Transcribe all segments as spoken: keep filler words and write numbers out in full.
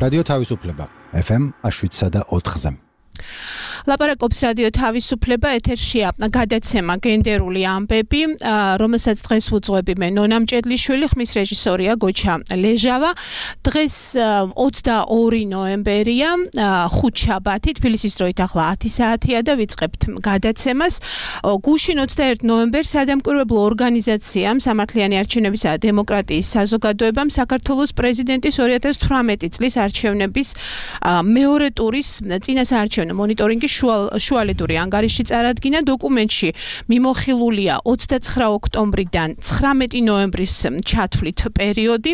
რადიო თავისუფლება ეფ ემ შვიდსა და ოთხზე. ლაპარაკობს რადიო თავისუფლება, ეთერშია გადაცემა გენდერული ამბები, რომელსაც დღეს ვუძღვები მე ნონა მჭედლიშვილი, ხმის რეჟისორია გოჩა ლეჟავა. დღეს ოცდაორი ნოემბერია, ხუთშაბათი, თბილისის დროით ახლა ათი საათია და ვიწყებთ გადაცემას. გუშინ ოცდაერთი ნოემბერს სადამკვირვებლო ორგანიზაციამ სამართლიანი არჩევნებისა და დემოკრატიის საზოგადოებამ საქართველოს პრეზიდენტის ორი ათას თვრამეტი წლის არჩევნების მეორე ტურის წინა საარჩევნო მონიტორინგი შუალედური ანგარიში წარადგინა. დოკუმენტში მიმოხილულია ოცდაცხრა ოქტომბრიდან ცხრამეტი ნოემბრის ჩათვლით პერიოდი.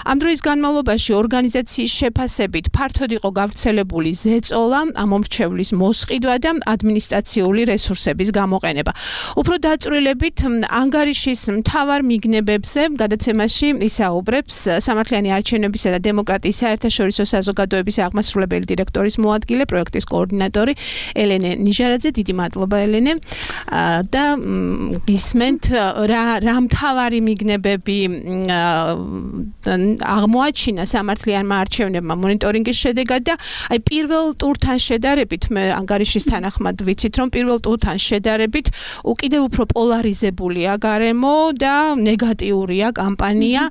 ამ დროის განმავლობაში ორგანიზაციის შეფასებით ფართოდ იყო გავრცელებული ზეწოლა, ამომრჩევლის მოსყიდვა და ადმინისტრაციული რესურსების გამოყენება. უფრო დაწვრილებით ანგარიშის მთავარ მიგნებებზე გადაცემაში ისაუბრებს სამართლიანი არჩევნებისა და დემოკრატიის საერთაშორისო საზოგადოების აღმასრულებელი დირექტორის მოადგილე, პროექტის კოორდინატორი ელენე ნიჟარაძე. დიდი მადლობა ელენე. და გისმენთ რა რა მთავარი მიგნებები აღმოაჩინა სამართლიანმა არჩევნებმა მონიტორინგის შედეგად და აი პირველ ტურთან შედარებით მე ანგარიშის თანახმად ვიცით რომ პირველ ტურთან შედარებით უკიდევ უფრო პოლარიზებულია გარემო და ნეგატიურია კამპანია.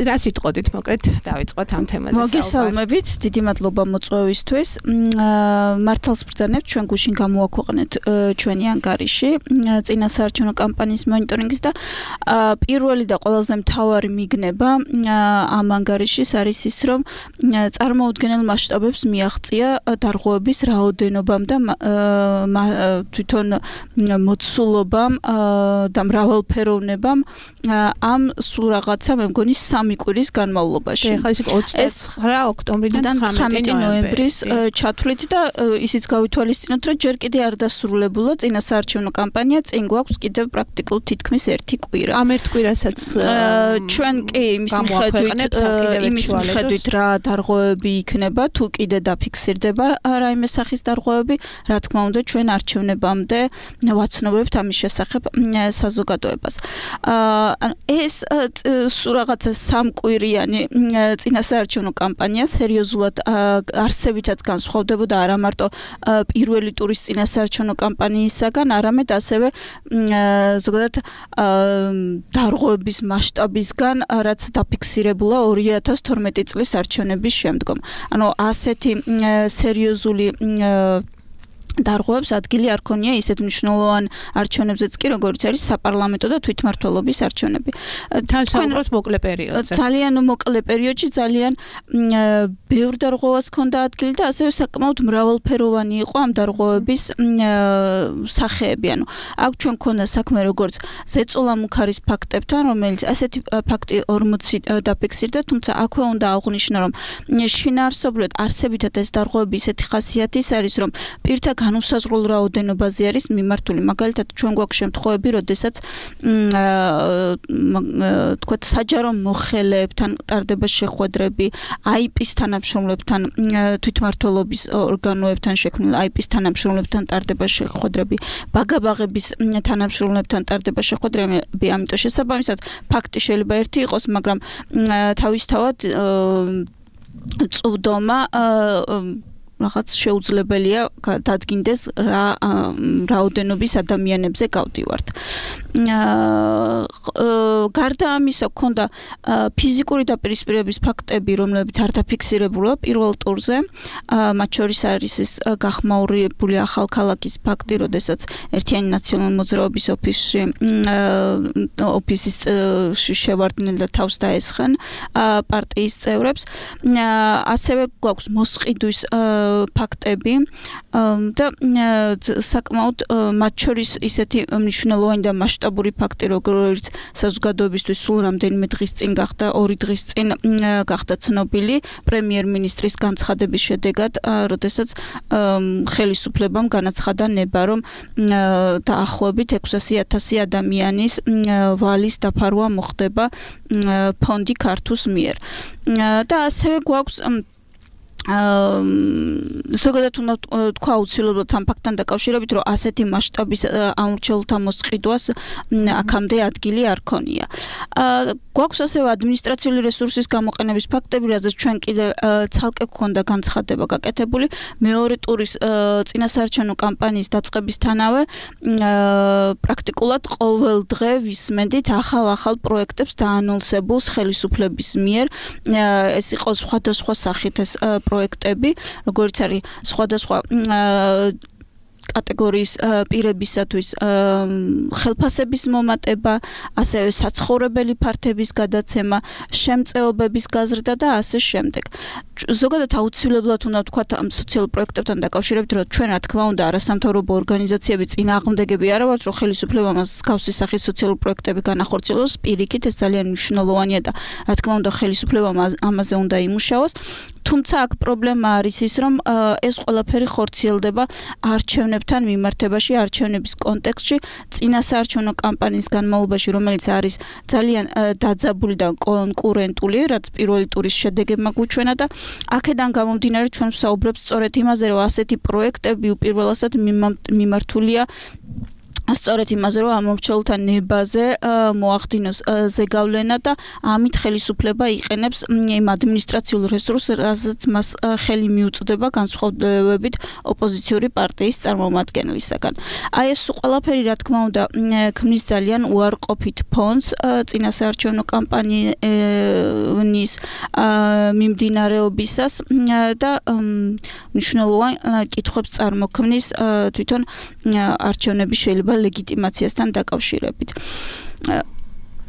რა სიტყოდით მოკლედ დავიწყოთ ამ თემაზე საუბარი. მოგესალმებით, დიდი მადლობა მოწვევისთვის. მართალს ბრძანებთ, ჩვენ გუშინ გამოაქვეყნეთ ჩვენი ანგარიში წინა საარჩევნო კამპანიის მონიტორინგის და პირველი და ყველაზე მთავარი მიგნება ამ ანგარიშის არის ის, რომ წარმოუდგენელ მასშტაბებს მიაღწია დარღვევების რაოდენობამ და თვითონ მოცულობამ და მრავალფეროვნებამ ამ სულ რაღაცა მე მგონი სამი კვირის განმავლობაში. ეხლა ის ოცდაცხრა ოქტომბრიდან ცხრამეტი ნოემბრის ჩათვლით და ისიც გავითვალისწინოთ, რომ ჯერ კიდე არ დასრულებულა წინა საარჩევნო კამპანია, წინ გვაქვს კიდევ პრაქტიკულ თითქმის ერთი კვირა. ამ ერთ კვირასაც ჩვენ კი იმის მიხედვით იმის მიხედვით რა დარღვევები იქნება, თუ კიდე დაფიქსირდება რაიმე სახის დარღვევები, რა თქმა უნდა ჩვენ არჩევნებამდე ვაცნობებთ ამის შესახებ საზოგადოებას. ეს სულ რაღაცა სამკვირიანი წინა საარჩევნო კამპანია სერიოზულად არსებითად განსხვავდებოდა არა მარტო პირველი ტურის წინა საარჩევნო კამპანიისაგან, არამედ ასევე ზოგადად დარღვევების მასშტაბისგან, რაც დაფიქსირებულა ორი ათას თორმეტი წლის არჩევნების შემდგომ. ანუ ასეთი სერიოზული დარღვევებს ადგილი არ ქონია ისეთ მნიშვნელოვან არჩევნებზეც კი, როგორც არის საპარლამენტო და თვითმმართველობის არჩევნები. თან საუბრობთ მოკლე პერიოდზე. ძალიან მოკლე პერიოდში ძალიან ბევრ დარღვევას ქონდა ადგილი და ასევე საკმაოდ მრავალფეროვანი იყო ამ დარღვევების სახეები. ანუ აქ ჩვენ ქონდა საქმე როგორც ზეწოლა-მუქარის ფაქტებთან, რომელიც ასეთი ფაქტი ორმოცი დაფიქსირდა, თუმცა აქვე უნდა აღვნიშნო, რომ შინაარსობრივად არსებითად ეს დარღვევები ისეთი ხასიათის არის, რომ პირთა განუსაზღვრელ რაოდენობაზე არის მიმართული. მაგალითად, ჩვენ გვაქვს შემთხვევები, როდესაც თქვათ საჯარო მოხელეებთან ტარდება შეხვედრები, აი პი-ის თანამშრომლებთან, თვითმმართველობის ორგანოებთან შექმნილ აი პი-ის თანამშრომლებთან ტარდება შეხვედრები, ბაგაბაღების თანამშრომლებთან ტარდება შეხვედრები, ამიტომ შესაბამისად ფაქტი შეიძლება ერთი იყოს, მაგრამ თავისთავად წვდომა რაღაც შეუძლებელია დადგინდეს რა რაოდენობის ადამიანებზე გავდივართ. გარდა ამისა, ქონდა ფიზიკური დაპირისპირების ფაქტები, რომლებიც არ დაფიქსირებულა პირველ ტურზე. მათ შორის არის ეს გახმაურებული ახალქალაქის ფაქტი, როდესაც ერთიანი ნაციონალური მოძრაობის ოფისში ოფისის შევარდნენ და თავს დაესხენ პარტიის წევრებს. ასევე გვაქვს მოსყიდვის ფაქტები და საკმაოდ მათ შორის ისეთი მნიშვნელოვანი და მასშტაბური ფაქტი, როგორც საზოგადოებისთვის სულ რამდენიმე დღის წინ გახდა, ორი დღის წინ გახდა ცნობილი პრემიერ-მინისტრის განცხადების შედეგად, როდესაც ხელისუფლებამ განაცხადა ნება, რომ დაახლოებით ექვსასი ათასი ადამიანის ვალის დაფარვა მოხდება ფონდი ქართუს მიერ. და ასევე გვაქვს ზოგადად უნდა თქვა აუცილებლად ამ ფაქტთან დაკავშირებით, რომ ასეთი მასშტაბის ამორჩეულთა მოსყიდვას აქამდე ადგილი არ ქონია. გვაქვს ასევე ადმინისტრაციული რესურსის გამოყენების ფაქტები, რაზეც ჩვენ კიდე ცალკე გვქონდა განცხადება გაკეთებული. მეორე ტურის წინასაარჩევნო კამპანიის დაწყებისთანავე პრაქტიკულად ყოველ დღე ვისმენდით ახალ-ახალ პროექტებს დაანონსებულს ხელისუფლების მიერ. ეს იყო სხვადასხვა სახით ეს პროექტები, როგორც არის სხვადასხვა კატეგორიის პირებისათვის ხელფასების მომატება, ასევე საცხოვრებელი ფართების გადაცემა, შემწეობების გაზრდა და ასე შემდეგ. ზოგადად აუცილებლად უნდა ვთქვათ ამ სოციალურ პროექტებთან დაკავშირებით, რომ ჩვენ რა თქმა უნდა არასამთავრობო ორგანიზაციები წინააღმდეგები არა ვართ, რომ ხელისუფლება მას მსგავსი სახის სოციალურ პროექტები განახორციელოს, პირიქით ეს ძალიან მნიშვნელოვანია და რა თქმა უნდა ხელისუფლებამ ამაზე უნდა იმუშაოს. თუმცა აქ პრობლემა არის ის, რომ ეს ყველაფერი ხორციელდება არჩევნებთან მიმართებაში, არჩევნების კონტექსტში, წინასაარჩევნო კამპანიის განმავლობაში, რომელიც არის ძალიან დაძაბული და კონკურენტული, რაც პირველი ტურის შედეგებმა გვუჩვენა და აქედან გამომდინარე ჩვენ ვსაუბრობთ სწორედ იმაზე, რომ ასეთი პროექტები უპირველესად მიმართულია სწორედ იმაზე, რომ ამორჩეულთა ნებაზე მოახდინოს ზეგავლენა და ამით ხელისუფლება იყენებს იმ ადმინისტრაციულ რესურსს, რასაც მას ხელი მიუწვდება განსხვავებით ოპოზიციური პარტიის წარმომადგენლისაგან. აი ეს ყველაფერი, რა თქმა უნდა, ქმნის ძალიან უარყოფით ფონს წინასაარჩევნო კამპანიის მიმდინარეობისას და მნიშვნელოვან კითხვებს წარმოქმნის თვითონ არჩევნების შეიძლება ლეგიტიმაციასთან დაკავშირებით.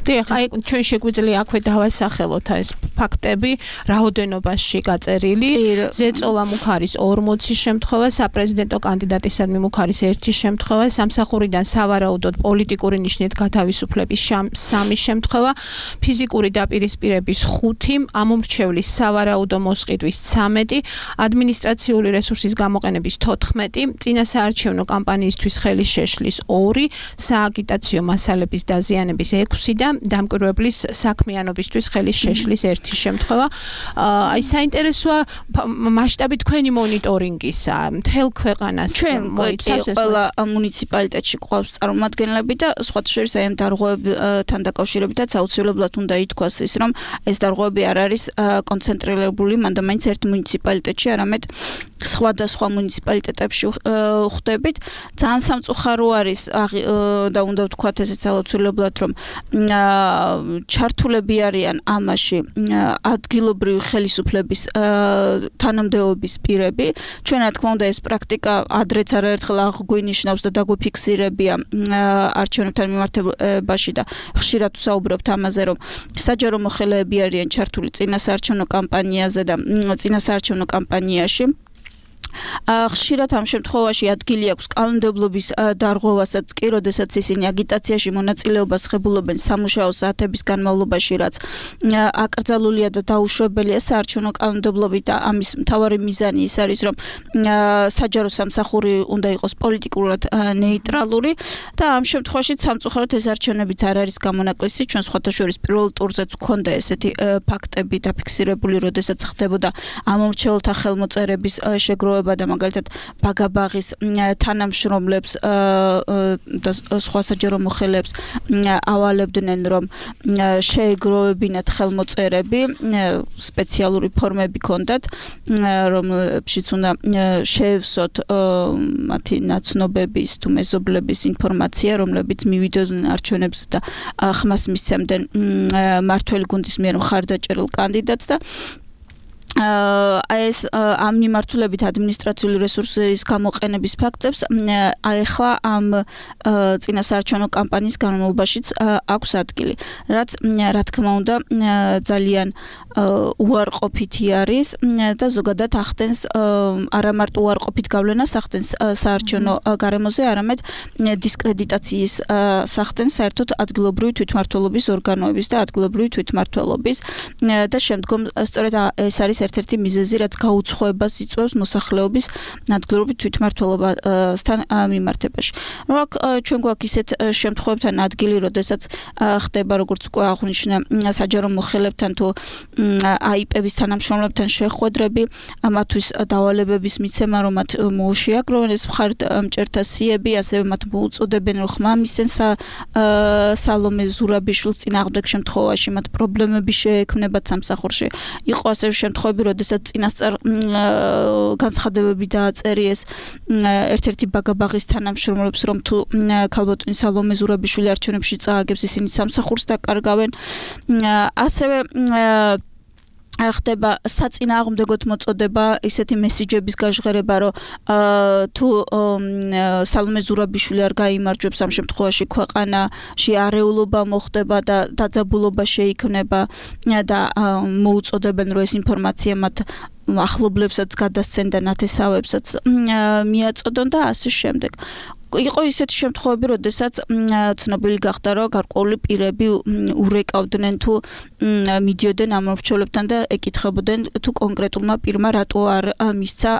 დიახ, აი ჩვენ შეგვიძლია აქვე დავასახელოთ ეს ფაქტები, რაოდენობაში გაწერილი, ზეწოლა მუხარის ორმოცი შემთხვევა, საპრეზიდენტო კანდიდატისადმი მუხარის ერთი შემთხვევა, სამსახურიდან სავარაუდოდ პოლიტიკური ნიშნით გათავისუფლების სამი შემთხვევა, ფიზიკური დაპირისპირების ხუთი, ამომრჩევლის სავარაუდო მოსყიდვის ცამეტი, ადმინისტრაციული რესურსის გამოყენების თოთხმეტი, წინასაარჩევნო კამპანიისთვის ხელის შეშლის ორი, სააგიტაციო მასალების დაზიანების ექვსი და დამკვირვებლის საქმიანობისთვის ხელის შეშლის ერთი შემთხვევა. აი საინტერესოა მასშტაბი თქვენი მონიტორინგისა, მთელ ქვეყანას მოიცავს. ყველა მუნიციპალიტეტში ყავს წარმომადგენლები და სხვათა შორის აი ამ დარღვევებთან დაკავშირებითაც აუცილებლად უნდა ითქვას ის, რომ ეს დარღვევები არ არის კონცენტრირებული მანდამაინც ერთ მუნიციპალიტეტში, არამედ სხვადასხვა მუნიციპალიტეტებში ხვდებით. ძალიან სამწუხარო არის და უნდა ვთქვათ ესეც აუცილებლად, რომ ჩართულები არიან ამაში ადგილობრივი ხელისუფლების თანამდებობის პირები. ჩვენ რა თქმა უნდა ეს პრაქტიკა ადრეც არაერთხელ აღგვინიშნავს და დაგვიფიქსირებია არჩევნებთან მიმართებაში და ხშირად ვსაუბრობთ ამაზე, რომ საჯარო მოხელეები არიან ჩართული წინასაარჩევნო კამპანიაზე და წინასაარჩევნო კამპანიაში. ხშირად ამ შემთხვევაში ადგილი აქვს კანონმდებლობის დარღვევასაც კი, როდესაც ისინი აგიტაციაში მონაწილეობას ღებულობენ სამუშაო საათების განმავლობაში, რაც აკრძალულია და დაუშვებელია საარჩევნო კანონმდებლობით და ამის მთავარი მიზანი ის არის, რომ საჯარო სამსახური უნდა იყოს პოლიტიკურად ნეიტრალური და ამ შემთხვევაში სამწუხაროდ ეს არჩევნებიც არ არის გამონაკლისი. ჩვენ სხვათა შორის პირველ ტურზეც გვქონდა ესეთი ფაქტები დაფიქსირებული, როდესაც ხდებოდა ამორჩეულთა ხელმოწერების შეგროვება და მაგალითად ბაგაბაღის თანამშრომლებს და სხვა საჯარო მოხელეებს ავალებდნენ, რომ შეეგროვებინათ ხელმოწერები, სპეციალური ფორმები ჰქონდათ, რომლებშიც უნდა შეევსოთ მათი ნაცნობების თუ მეზობლების ინფორმაცია, რომლებიც მივიდოდნენ არჩევნებს და ხმას მისცემდნენ მმართველი გუნდის მიერ მხარდაჭერილ კანდიდატს და აი ეს ამ მიმართულებით ადმინისტრაციული რესურსების გამოყენების ფაქტებს ახლა ამ წინასაარჩევნო კამპანიის განმავლობაშიც აქვს ადგილი, რაც რა თქმა უნდა ძალიან უარყოფითი არის და ზოგადად ახდენს არა მარტო უარყოფით გავლენას ახდენს საარჩევნო გარემოზე, არამედ დისკრედიტაციის სახდენს საერთოდ ადგილობრივი თვითმმართველობის ორგანოების და ადგილობრივი თვითმმართველობის და შემდგომ სწორედ ეს არის ერთ-ერთი მიზეზი, რაც გაუცხოებას იწვევს მოსახლეობის ადგილობრივ თვითმმართველობასთან მიმართებაში. რომ აქ ჩვენ გვაქვს ისეთ შემთხვევებთან ადგილი, როდესაც ხდება როგორც უკვე აღნიშნე საჯარო მოხელებთან თუ აიპების თანამშრომლებთან შეხვედრები, ამათვის დავალებების მიცემა, რომ მათ მოუშიაგროვენ ეს მხარდამჭერთა სიები, ასევე მათ მოუწოდებენ, რომ ხმა მისცენ სალომე ზურაბიშვილს წინააღმდეგ შემთხვევაში მათ პრობლემები შეექმნებათ სამსახურში. იყო ასევე შემთხვევები, როდესაც წინასწარ განცხადებები დააწერიეს ერთ-ერთი ბაგაბაღის თანამშრომლებს, რომ თუ ქალბატონი სალომე ზურაბიშვილი არჩევნებში წააგებს, ისინი სამსახურს დაკარგავენ. ასევე ხდება საწინააღმდეგოდ მოწოდება ისეთი მესიჯების გაჟღერება, რომ თუ სალომე ზურაბიშვილი არ გაიმარჯვებს, ამ შემთხვევაში ქვეყანაში არეულობა მოხდება და დაძაბულობა შეიქმნება და მოუწოდებენ, რომ ეს ინფორმაცია მათ ახლობლებსაც გადასცენ და ნათესავებსაც მიაწოდონ და ასე შემდეგ. იყო ისეთი შემთხვევები, როდესაც ცნობილი გახდა, რომ გარკვეული პირები ურეკავდნენ თუ მიდიოდნენ ამ მრჩევლებთან და ეკითხებოდნენ თუ კონკრეტულმა პირმა რატო არ მისცა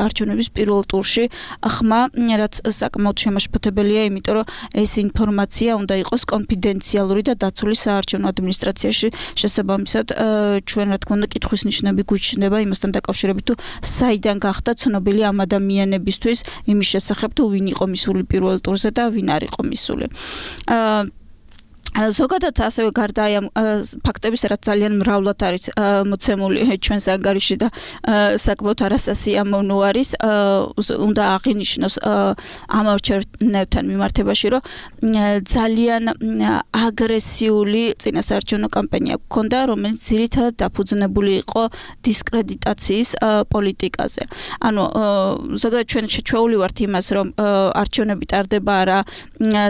არჩევნების პირველ ტურში ხმა, რაც საკმაოდ შემაშფოთებელია, იმიტომ რომ ეს ინფორმაცია უნდა იყოს კონფიდენციალური და დაცული საარჩევნო ადმინისტრაციაში. შესაბამისად, ჩვენ რა თქმა უნდა კითხვის ნიშნები გვიჩნდება იმასთან დაკავშირებით, თუ საიდან გახდა ცნობილი ამ ადამიანებისთვის იმის შესახებ, თუ ვინ იყო მისული პირველ ტურზე და ვინ არ იყო მისული. ზოგადად ასევე გარდა აი ამ ფაქტების, რაც ძალიან მრავლად არის მოცემული ჩვენს ანგარიში და საკმაოდ არასასიამოვნო არის, უნდა აღინიშნოს ამ არჩევნებთან მიმართებაში, რომ ძალიან აგრესიული წინასაარჩევნო კამპანია გქონდა, რომელიც ძირითადად დაფუძნებული იყო დისკრედიტაციის პოლიტიკაზე. ანუ ზოგადად ჩვენ შეჩვეული ვართ იმას, რომ არჩევნები ტარდება არა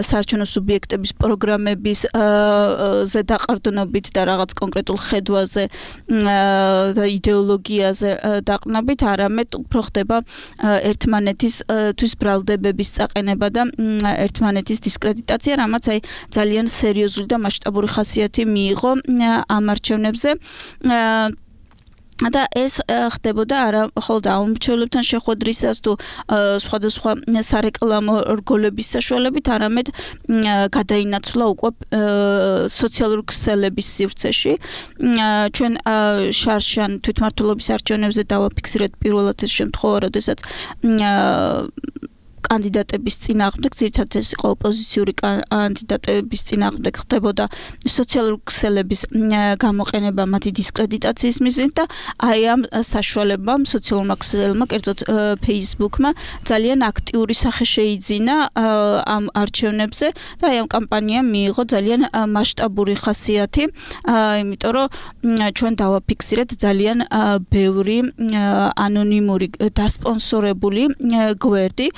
საარჩევნო სუბიექტების პროგრამების ზე დაყრდნობით და რაღაც კონკრეტულ ხედვაზე და იდეოლოგიაზე დაყრდნობით, არამედ უფრო ხდება ერთმანეთის თვის ბრალდებების წაყენება და ერთმანეთის დისკრედიტაცია, რამაც აი ძალიან სერიოზული და მასშტაბური ხასიათი მიიღო ამ არჩევნებზე. და ეს ხდებოდა არა მხოლოდ ამ მრჩევლებთან შეხვედრისას თუ სხვადასხვა სარეკლამო რგოლების საშუალებით, არამედ გადაინაცვლა უკვე სოციალური ქსელების სივრცეში. ჩვენ შარშან თვითმმართველობის არჩევნებზე დავაფიქსირეთ პირველად ეს შემთხვევა, როდესაც კანდიდატების წინააღმდეგ, ძირითადად ეს იყო ოპოზიციური კანდიდატების წინააღმდეგ ხდებოდა სოციალური ქსელების გამოყენება მათი დისკრედიტაციის მიზნით და აი ამ საშუალებამ სოციალურმა ქსელებმა, კერძოდ Facebook-მა ძალიან აქტიური სახე შეიძინა ამ არჩევნებზე და აი ამ კამპანიამ მიიღო ძალიან მასშტაბური ხასიათი, იმიტომ რომ ჩვენ დავაფიქსირეთ ძალიან ბევრი ანონიმური დასპონსორებული გვერდი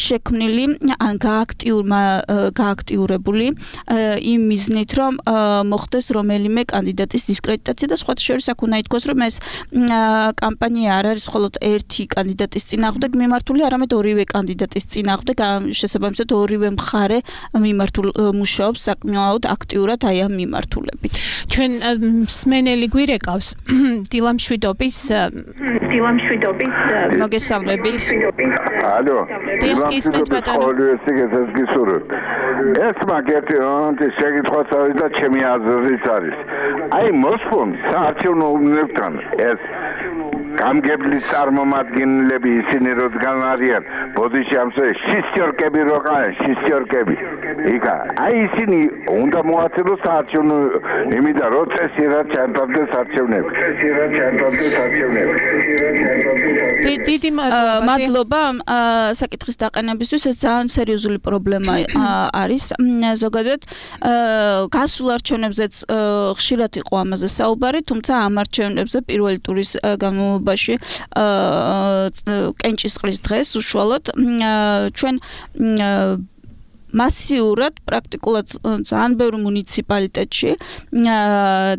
შექმნილი ან გააქტიურებული იმ მიზნით, რომ მოხდეს რომელიმე კანდიდატის დისკრედიტაცია და სხვათა შორის აქ უნდა ითქვას, რომ ეს კამპანია არ არის მხოლოდ ერთი კანდიდატის წინააღმდეგ მიმართული, არამედ ორივე კანდიდატის წინააღმდეგ, შესაბამისად ორივე მხარე მიმართულ მუშაობს საკმაოდ აქტიურად აი ამ მიმართულებით. ჩვენ მსმენელი გვირეკავს დილამშვიდობის დილამშვიდობის მოგესალმებით. ალო. გისმენთ ბატონო. ეს მაგეთი ის შეკითხვაც არის და ჩემი აზრიც არის. აი მოსფონ საარჩევნო უბნებთან ეს გამგებლის წარმომადგენლები ისინი როდგან არიან ბოდიში ამსე შისტიორკები როყან შისტიორკები იკა აი ისინი უნდა მოაწილოს საარჩევნო იმიდა რო წესიერად ჩამტარდეს არჩევნები წესიერად ჩამტარდეს არჩევნები დიდი მადლობა საკითხის დაყენებისთვის. ეს ძალიან სერიოზული პრობლემა არის. ზოგადად გასულ არჩევნებზეც ხშირად იყო ამაზე საუბარი, თუმცა ამ არჩევნებზე პირველი ტურის განმავლობაში კენჭისყრის დღეს უშუალოდ ჩვენ მასიურად პრაქტიკულად ძალიან ბევრ მუნიციპალიტეტში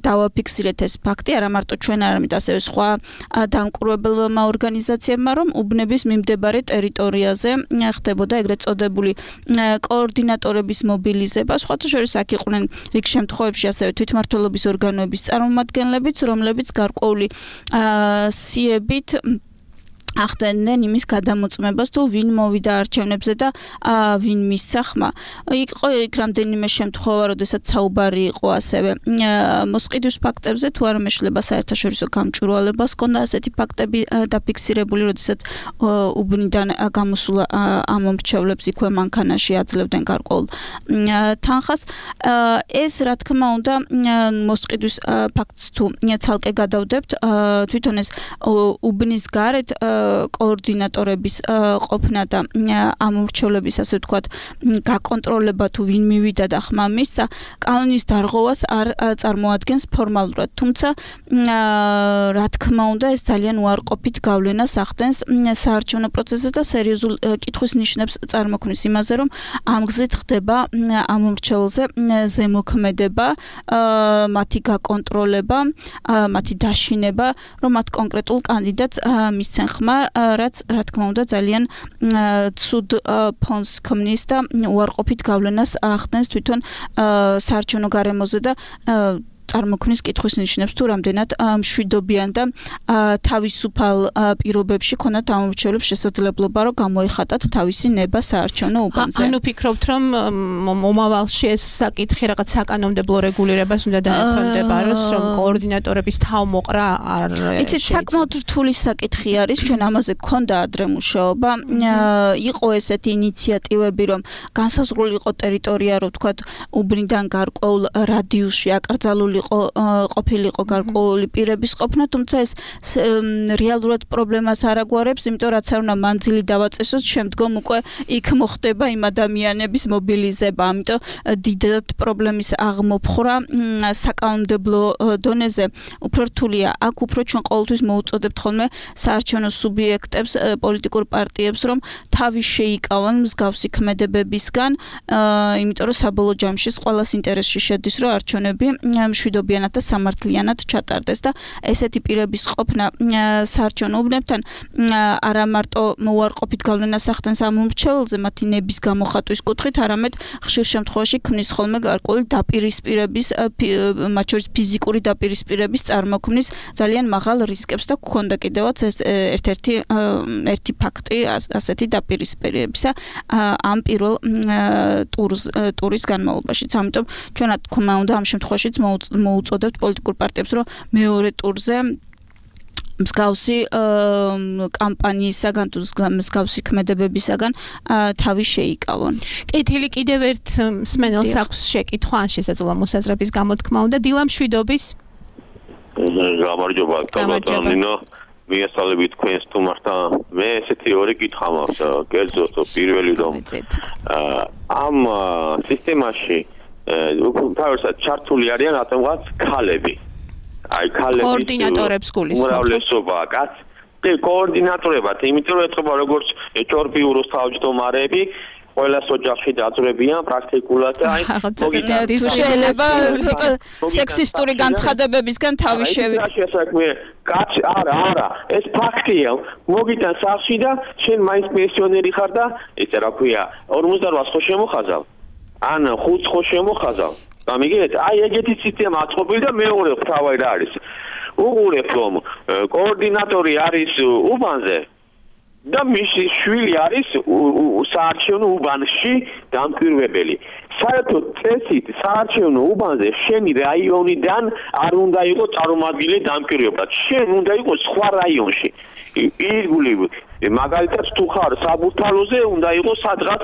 დავაფიქსირეთ ეს ფაქტი, არა მარტო ჩვენ, არამედ ასევე სხვა დამკვირვებელმა ორგანიზაციებმა, რომ უბნების მიმდებარე ტერიტორიაზე ხდებოდა ეგრეთ წოდებული კოორდინატორების მობილიზება. სხვათა შორის აქ იყვნენ რიგ შემთხვევებში ასევე თვითმმართველობის ორგანოების წარმომადგენლებიც, რომლებიც გარკვეული სიებით ახდენდნენ იმის გადამოწმებას, თუ ვინ მოვიდა არჩევნებზე და ვინ მისცა ხმა. იყო იქ რამდენიმე შემთხვევა, როდესაც საუბარი იყო ასევე მოსყიდვის ფაქტებზე, თუ არ მეშლება საერთაშორისო გამჭვირვალებას, ჰქონდა ასეთი ფაქტები დაფიქსირებული, როდესაც უბნიდან გამოსულ ამომრჩევლებს იქვე მანქანაში აძლევდნენ გარკვეულ თანხას. ეს რა თქმა უნდა მოსყიდვის ფაქტს თუ ცალკე გადავდებთ, თვითონ ეს უბნის გარეთ კოორდინატორების ყოფნა და ამომრჩევლების ასე ვთქვათ გაკონტროლება თუ ვინ მივიდა და ხმა მისცა კანონის დარღვევას არ წარმოადგენს ფორმალურად, თუმცა რა თქმა უნდა ეს ძალიან უარყოფით გავლენას ახდენს საარჩევნო პროცესზე და სერიოზულ კითხვის ნიშნებს წარმოქმნის იმაზე, რომ ამ გზით ხდება ამომრჩევლზე ზემოქმედება, მათი გაკონტროლება, მათი დაშინება, რომ მათ კონკრეტულ კანდიდატს მისცენ ხმა, რაც რა თქმა უნდა ძალიან ცუდ ფონს ქმნის და უარყოფით გავლენას ახდენს თვითონ საარჩევნო გარემოზე და წარმოქმნის კითხვის ნიშნებს თუ რამდენად მშვიდობიან და თავისუფალ პირობებში ქონათ ამომრჩევლებს შესაძლებლობა რომ გამოეხატათ თავისი ნება საარჩევნო უბანზე. ანუ ფიქრობთ რომ მომავალში ეს საკითხი რაღაც საკანონმდებლო რეგულირებას უნდა დაეფონდებაროს, რომ კოორდინატორების თავმოყრა არ იცით საკმაოდ რთული საკითხი არის, ჩვენ ამაზე გქონდა ადრე მუშაობა, იყო ესეთი ინიციატივები, რომ განსაზღვრული იყო ტერიტორია, რომ ვთქვათ უბნიდან გარკვეულ რადიუსში აკრძალული ყოფილიყო გარკვეული პირების ყოფნა, თუმცა ეს რეალურად პრობლემას არ აგვარებს, იმიტომ რაც არ უნდა მანძილი დავაწესოთ, შემდგომ უკვე იქ მოხდება იმ ადამიანების მობილიზება, ამიტომ დიდად პრობლემის აღმოფხვრა საკანონმდებლო დონეზე უფრო რთულია. აქ უფრო ჩვენ ყოველთვის მოუწოდებთ ხოლმე საარჩევნო სუბიექტებს, პოლიტიკურ პარტიებს, რომ თავი შეიკავონ მსგავსი ქმედებებისგან, იმიტომ რომ საბოლოო ჯამში ყველას ინტერესში შედის, რომ არჩევნები მშვიდობიანად და სამართლიანად ჩატარდეს და ესეთი პირების ყოფნა საარჩევნო უბნებთან არა მარტო უარყოფით გავლენას ახდენს ამომრჩეველზე მათი ნების გამოხატვის კუთხით, არამედ ხშირ შემთხვევაში ქმნის ხოლმე გარკვეული დაპირისპირების, მათ შორის ფიზიკური დაპირისპირების წარმოქმნის ძალიან მაღალ რისკებს და გქონდა კიდევაც ეს ერთ-ერთი ერთი ფაქტი ასეთი დაპირისპირებისა ამ პირველ ტურს ტურის განმავლობაში. ამიტომ ჩვენ რა თქმა უნდა ამ შემთხვევაშიც მოუწოდებთ პოლიტიკურ პარტიებს, რომ მეორე ტურზე მსგავსი კამპანიისაგან თუ მსგავსი ქმედებებისაგან თავი შეიკავონ. კეთილი კიდევ ერთ მსმენელს აქვს შეკითხვა, ან შესაძლოა მოსაზრების გამოთქმა უნდა. დილა მშვიდობის. გამარჯობა, კაბატონინო. მიესალმებით თქვენს თუმართა. მე ესეთი ორი კითხვა მაქვს, კერძოდ პირველი რომ ამ სისტემაში თავისად ჩართული არიან რატომღაც ქალები. აი ქალების კოორდინატორებს გულისხმობთ. უმრავლესობა კაც კი კოორდინატორებად, იმიტომ რომ ეთყობა როგორც ჭორბიუროს თავმჯდომარეები ყველას ოჯახში დაძვრებიან პრაქტიკულად და აი მოგიტანთ შეიძლება სექსისტური განცხადებებისგან თავი შევიდე. აი შესაძლოა კაც არა არა ეს ფაქტია მოგიტან სახში და შენ მაინც პენსიონერი ხარ და ესე რა ქვია ორმოცდაოთხ ხო შემოხაზავ ან ხუთს ხო შემოხაზავ. გამიგეთ? აი ეგეთი სისტემა აწყობილი და მეორე თავი რა არის. უყურებ რომ კოორდინატორი არის უბანზე და მისი შვილი არის საარჩევნო უბანში დამკვირვებელი. საერთოდ წესით საარჩევნო უბანზე შენი რაიონიდან არ უნდა იყოს წარმომადგენელი დამკვირვებლად. შენ უნდა იყოს სხვა რაიონში. ირგული მაგალითად თუ ხარ საბურთალოზე უნდა იყოს სადღაც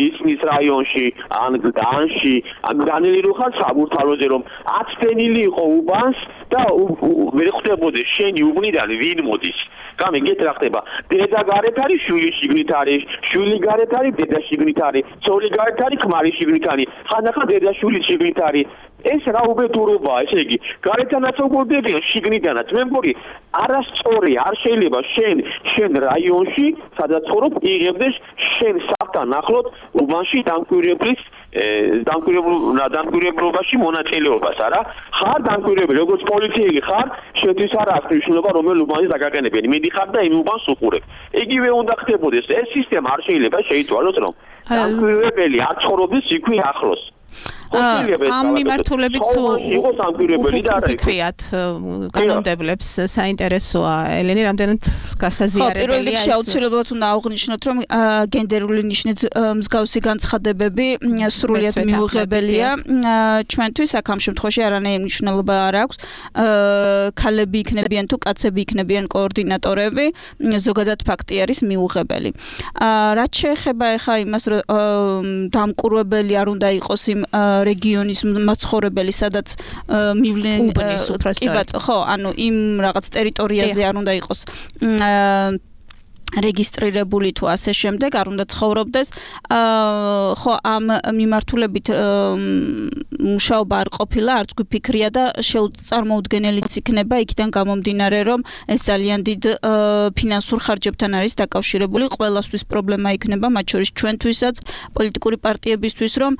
ისმის რაიონში ან გდანში ან განელი რო ხარ საბურთალოზე რომ აცდენილი იყო უბანს და ვერ ხდებოდეს შენი უბნიდან ვინ მოდის. გამიგეთ რა ხდება? დედა გარეთ არის, შვილი შიგნით არის, შვილი გარეთ არის, დედა შიგნით არის, ცოლი გარეთ არის, ქმარი შიგნით არის, ხანდახან დედა შვილი შიგნით არის. ეს რა უბედურობაა, ესე იგი, გარეთანაც უგორდებიან, შიგნიდანაც. მე მგონი, არასწორი, არ შეიძლება შენ შენ რაიონში, სადაც ცხოვრობ, იღებდეს შენ ხმასთან ახლოთ უბანში დამკვირვებლის დამკვირვებლობაში მონაწილეობას, არა? ხარ დამკვირვებელი, როგორც პოლიციელი ხარ, შეთვის არა აქვს მნიშვნელობა, რომელ უბანზე დაგაყენებიანი. მიდიხარ და იმ უბანს უყურებ. იგივე უნდა ხდებოდეს. ეს სისტემა არ შეიძლება შეიცვალოს, რომ დამკვირვებელი არ ცხოვრობს იქვე ახლოს. ამ მიმართულებით იყოს დამკვირვებელი და არა ფიქრიათ კანონმდებლებს საინტერესოა ელენე რამდენად გასაზიარებელია ეს. პირველ რიგში აუცილებლად უნდა აღვნიშნოთ, რომ გენდერული ნიშნით მსგავსი განცხადებები სრულიად მიუღებელია ჩვენთვის, აქ ამ შემთხვევაში არანაირი მნიშვნელობა არ აქვს. ქალები იქნებიან თუ კაცები იქნებიან კოორდინატორები, ზოგადად ფაქტი არის მიუღებელი. რაც შეეხება ახლა იმას, რომ დამკვირვებელი არ უნდა იყოს იმ რეგიონის მაცხოვრებელი, სადაც მივლენ ხო, ანუ იმ რაღაც ტერიტორიაზე არ უნდა იყოს რეგისტრირებული თუ ასე შემდეგ, არ უნდა ცხოვრობდეს. ხო, ამ მიმართულებით მუშაობა არ ყოფილა, არც გვიფიქრია და შეუწარმოუდგენელიც იქნება, იქიდან გამომდინარე, რომ ეს ძალიან დიდ ფინანსურ ხარჯებთან არის დაკავშირებული. ყველასთვის პრობლემა იქნება, მათ შორის ჩვენთვისაც, პოლიტიკური პარტიებისთვის, რომ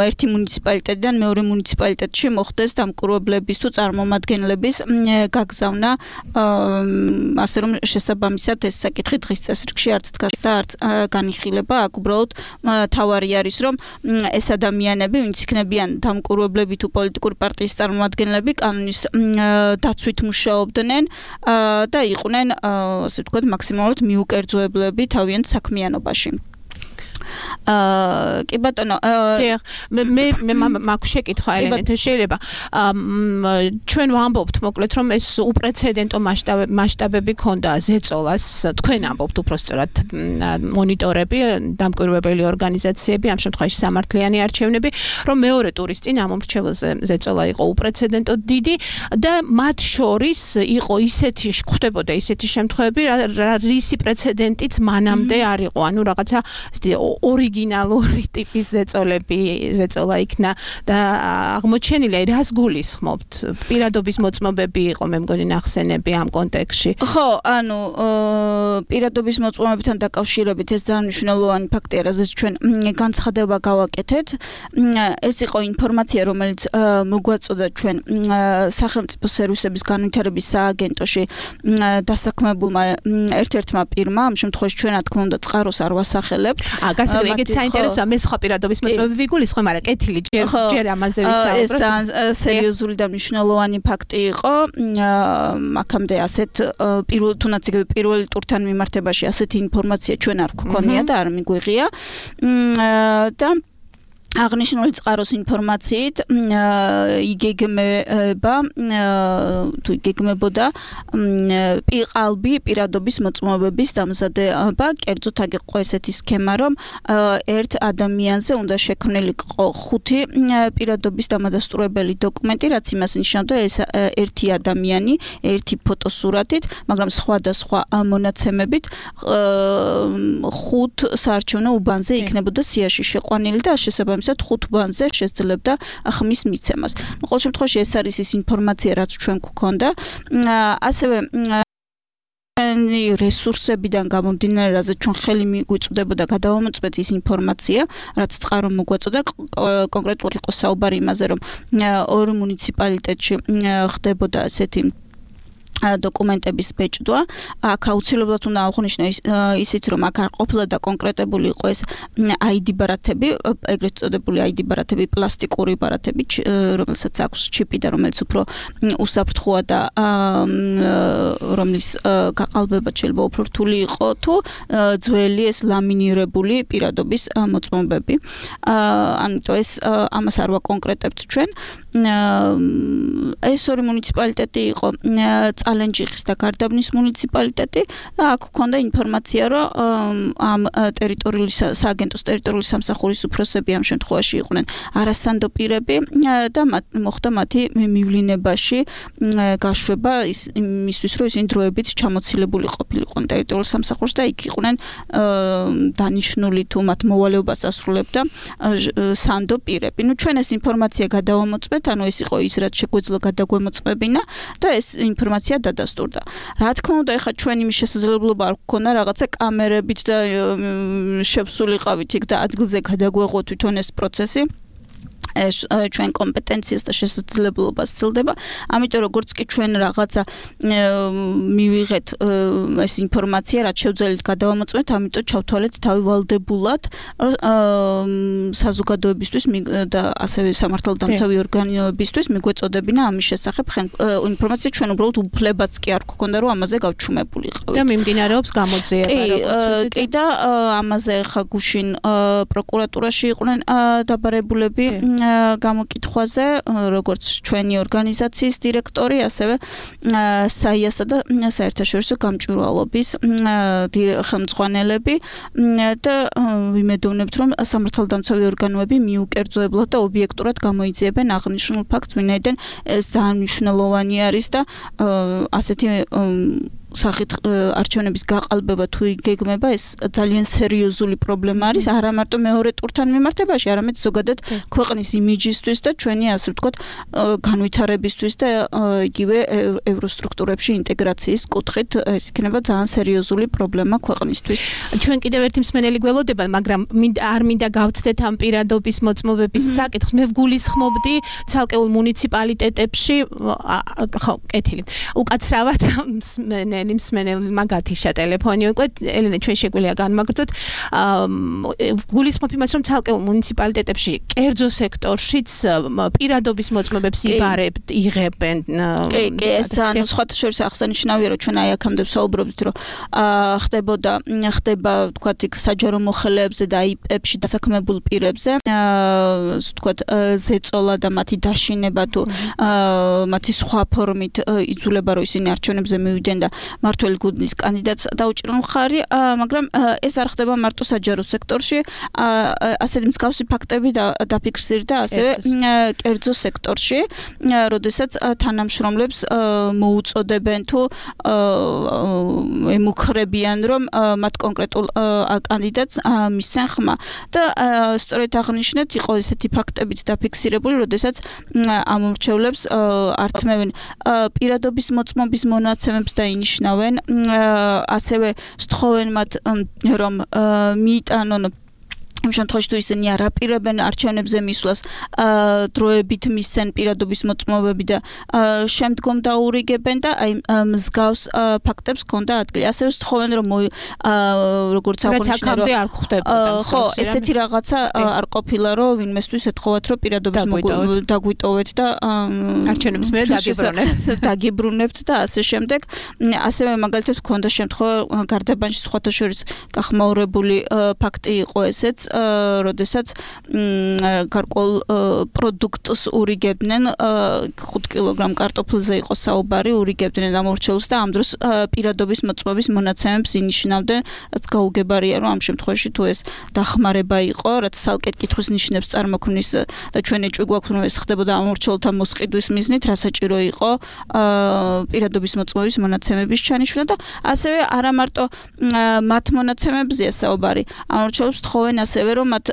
ერთი მუნიციპალიტეტიდან მეორე მუნიციპალიტეტში მოხდეს დამკვირვებლების თუ წარმომადგენლების გაგზავნა, ასე რომ შესაბამისად ეს საკითხი დღის წესრიგში არც დგას და არც განიხილება. აქ უბრალოდ თავარი არის, რომ ეს ადამიანები, ვინც იქნებიან დამკვირვებლები თუ პოლიტიკური პარტიის წარმომადგენლები, კანონის დაცვით მუშაობდნენ და იყვნენ, ასე ვთქვათ, მაქსიმალურად მიუკერძოებლები თავიანთ საქმიანობაში. აა კი ბატონო, მე მე მაქვს შეკითხვა ელენე, შეიძლება ჩვენ ვამბობთ მოკლედ, რომ ეს უპრეცედენტო მასშტაბები ქონდა ზეწოლას, თქვენ ამბობთ უბრალოდ მონიტორები, დამკვირვებელი ორგანიზაციები, ამ შემთხვევაში სამართლიანი არჩევნები, რომ მეორე ტურის წინ ამ მომრჩეველზე ზეწოლა იყო უპრეცედენტო დიდი და მათ შორის იყო ისეთი ხდებოდა ისეთი შემთხვევები, რისი პრეცედენტიც მანამდე არ იყო, ანუ რაღაცა ორიგინალური ტიპის ზეწოლები ზეწოლა იქნა და აღმოჩენილია, რას გულისხმობთ? პირადობის მოწმობები იყო, მე მგონი ნახსენები ამ კონტექსტში. ხო, ანუ პირადობის მოწმობებთან დაკავშირებით ეს ძალიან მნიშვნელოვანი ფაქტია, რაზეც ჩვენ განცხადება გავაკეთეთ. ეს იყო ინფორმაცია, რომელიც მოგვაწოდა ჩვენ სახელმწიფო სერვისების განვითარების სააგენტოში დასაქმებულმა ერთ-ერთმა პირმა, ამ შემთხვევაში ჩვენ რა თქმა უნდა წყაროს არ ვასახელებთ. გასაგებია, ეგეც საინტერესოა, მე სხვა პირადობის მოწმობები ვიგულისხმე, მაგრამ კეთილი ჯერ ჯერ ამაზე ვისაუბროთ. ეს სერიოზული და მნიშვნელოვანი ფაქტი იყო. აქამდე ასეთ პირველ თუნდაც იგივე პირველ ტურთან მიმართებაში ასეთი ინფორმაცია ჩვენ არ გვქონია და არ მიგვიღია. და აღნიშნული წყაროს ინფორმაციით იგეგმება თუ იგეგმებოდა ყალბი პირადობის მოწმობების დამზადება, კერძოდ აქ იყო ესეთი სქემა, რომ ერთ ადამიანზე უნდა შექმნილიყო ხუთი პირადობის დამადასტურებელი დოკუმენტი, რაც იმას ნიშნავდა, ეს ერთი ადამიანი, ერთი ფოტოსურათით, მაგრამ სხვადასხვა მონაცემებით ხუთ საარჩევნო უბანზე იქნებოდა სიაში შეყვანილი და შესაბამისად ხუთ უბანზე შესძლებდა ხმის მიცემას. ყოველ შემთხვევაში ეს არის ის ინფორმაცია, რაც ჩვენ გვქონდა. ასევე რესურსებიდან გამომდინარე, რაზეც ჩვენ ხელი მიგვიწვდებოდა გადავამოწმეთ ის ინფორმაცია, რაც წყარო მოგვაწოდა, კონკრეტულად იყო საუბარი იმაზე, რომ ორ მუნიციპალიტეტში ხდებოდა ასეთი დოკუმენტების ბეჭდვა. აქ აუცილებლად უნდა აღვნიშნო ისიც, რომ აქ არ ყოფილა და კონკრეტებული იყო ეს აი დი ბარათები, ეგრეთ წოდებული აი დი ბარათები, პლასტიკური ბარათები, რომელსაც აქვს ჩიპი და რომელიც უფრო უსაფრთხოა და რომლის გაყალბება შეიძლება უფრო რთული იყო, თუ ძველი ეს ლამინირებული პირადობის მოწმობები. ანუ ეს ამას არ ვაკონკრეტებთ ჩვენ. ეს ორი მუნიციპალიტეტი იყო წალენჯიხის და გარდაბნის მუნიციპალიტეტი და აქ ჰქონდა ინფორმაცია, რომ ამ ტერიტორიული სააგენტოს ტერიტორიული სამსახურის უფროსები ამ შემთხვევაში იყვნენ არასანდო პირები და მოხდა მათი მივლინებაში გაშვება იმისთვის, რომ ისინი დროებით ჩამოცილებული ყოფილიყვნენ ტერიტორიულ სამსახურში და იქ იყვნენ დანიშნული თუ მათ მოვალეობას ასრულებდა სანდო პირები. ნუ ჩვენ ეს ინფორმაცია გადავამოწმეთ, ანუ ეს იყო ის, რაც შეგვეძლო გადაგვემოწმებინა და ეს ინფორმაცია ინფორმაცია დადასტურდა. რა თქმა უნდა, ეხლა ჩვენ იმის შესაძლებლობა არ გქონდა რაღაცა კამერებით და შევსულიყავით იქ და ადგილზე გადაგვეღო თვითონ ეს პროცესი. ეს ჩვენ კომპეტენციას და შესაძლებლობას ცილდება. ამიტომ როგორც კი ჩვენ რაღაცა მივიღეთ ეს ინფორმაცია, რაც შევძელით გადავამოწმეთ, ამიტომ ჩავთვალეთ თავი ვალდებულად საზოგადოებისთვის და ასევე სამართალდამცავი ორგანოებისთვის მიგვეწოდებინა ამის შესახებ ინფორმაცია. ჩვენ უბრალოდ უფლებაც კი არ გქონდა, რომ ამაზე გავჩუმებულიყავით. და მიმდინარეობს გამოძიება, როგორც კი და ამაზე ხა გუშინ პროკურატურაში იყვნენ დაბარებულები გამოკითხვაზე, როგორც ჩვენი ორგანიზაციის დირექტორი, ასევე საიასა და საერთაშორისო გამჭვირვალობის ხელმძღვანელები და ვიმედოვნებთ, რომ სამართალდამცავი ორგანოები მიუკერძოებლად და ობიექტურად გამოიძიებენ აღნიშნულ ფაქტს, ვინაიდან ეს ძალიან მნიშვნელოვანი არის და ასეთი სახით არჩევნების გაყალბება თუ იგეგმება, ეს ძალიან სერიოზული პრობლემა არის, არა მარტო მეორე ტურთან მიმართებაში, არამედ ზოგადად ქვეყნის იმიჯისთვის და ჩვენი, ასე ვთქვათ, განვითარებისთვის და იგივე ევროსტრუქტურებში ინტეგრაციის კუთხით ეს იქნება ძალიან სერიოზული პრობლემა ქვეყნისთვის. ჩვენ კიდევ ერთი მსმენელი გველოდება, მაგრამ არ მინდა გავცდეთ ამ პირადობის მოწმობების საკითხს. მე ვგულისხმობდი ცალკეულ მუნიციპალიტეტებში, ხო, კეთილი. უკაცრავად მსმენელი მსმენელმა გათიშა ტელეფონი უკვე, ელენე, ჩვენ შეგვიძლია განმაგრძოთ. ვგულისხმობ იმას, რომ ცალკეულ მუნიციპალიტეტებში, კერძო სექტორშიც პირადობის მოწმობებს იბარებთ, იღებენ. კი, კი, ეს ძალიან სხვათა შორის აღსანიშნავია, რომ ჩვენ აი აქამდე ვსაუბრობთ, რომ ხდებოდა, ხდება, ვთქვათ, იქ საჯარო მოხელეებზე და აიპებში დასაქმებულ პირებზე, ვთქვათ, ზეწოლა და მათი დაშინება თუ მათი სხვა ფორმით იძულება, რომ ისინი არჩევნებზე მივიდნენ და მართველი გუნდის კანდიდატს დაუჭირონ მხარი, მაგრამ ეს არ ხდება მარტო საჯარო სექტორში, ასეთი მსგავსი ფაქტები დაფიქსირდა ასევე კერძო სექტორში, როდესაც თანამშრომლებს მოუწოდებენ თუ ემუქრებიან, რომ მათ კონკრეტულ კანდიდატს მისცენ ხმა და სწორედ აღნიშნეთ, იყო ესეთი ფაქტებიც დაფიქსირებული, როდესაც ამომრჩევლებს ართმევენ პირადობის მოწმობის მონაცემებს და ინიშნავენ, ასევე სთხოვენ მათ, რომ მიიტანონ იმ შემთხვევაში თუ ისინი არ აპირებენ არჩევნებზე მისვლას, დროებით მისცენ პირადობის მოწმობები და შემდგომ დაურიგებენ და აი მსგავს ფაქტებს ჰქონდა ადგილი. ასევე სთხოვენ, რომ როგორც აღნიშნე, რომ არ ხდებოდა. ხო, ესეთი რაღაცა არ ყოფილა, რომ ვინმესთვის ეთხოვათ, რომ პირადობის დაგვიტოვეთ და არჩევნების მერე დაგიბრუნებთ. დაგიბრუნებთ და ასე შემდეგ. ასევე მაგალითად ჰქონდა შემთხვევა გარდაბანში სხვათა შორის გახმაურებული ფაქტი იყო ესეც, როდესაც გარკვეულ პროდუქტს ურიგებდნენ, ხუთ კილოგრამ კარტოფილზე იყო საუბარი, ურიგებდნენ ამორჩეულს და ამ დროს პირადობის მოწმობის მონაცემებს ინიშნავდნენ, რაც გაუგებარია, რომ ამ შემთხვევაში თუ ეს დახმარება იყო, რაც ცალკე კითხვის ნიშნებს წარმოქმნის და ჩვენ ეჭვი გვაქვს, რომ ეს ხდებოდა ამორჩეულთა მოსყიდვის მიზნით, რა საჭირო იყო პირადობის მოწმობის მონაცემების ჩანიშვნა და ასევე არა მარტო მათ მონაცემებზეა საუბარი, ამორჩეულებს თხოვენ ასევე რომ მათ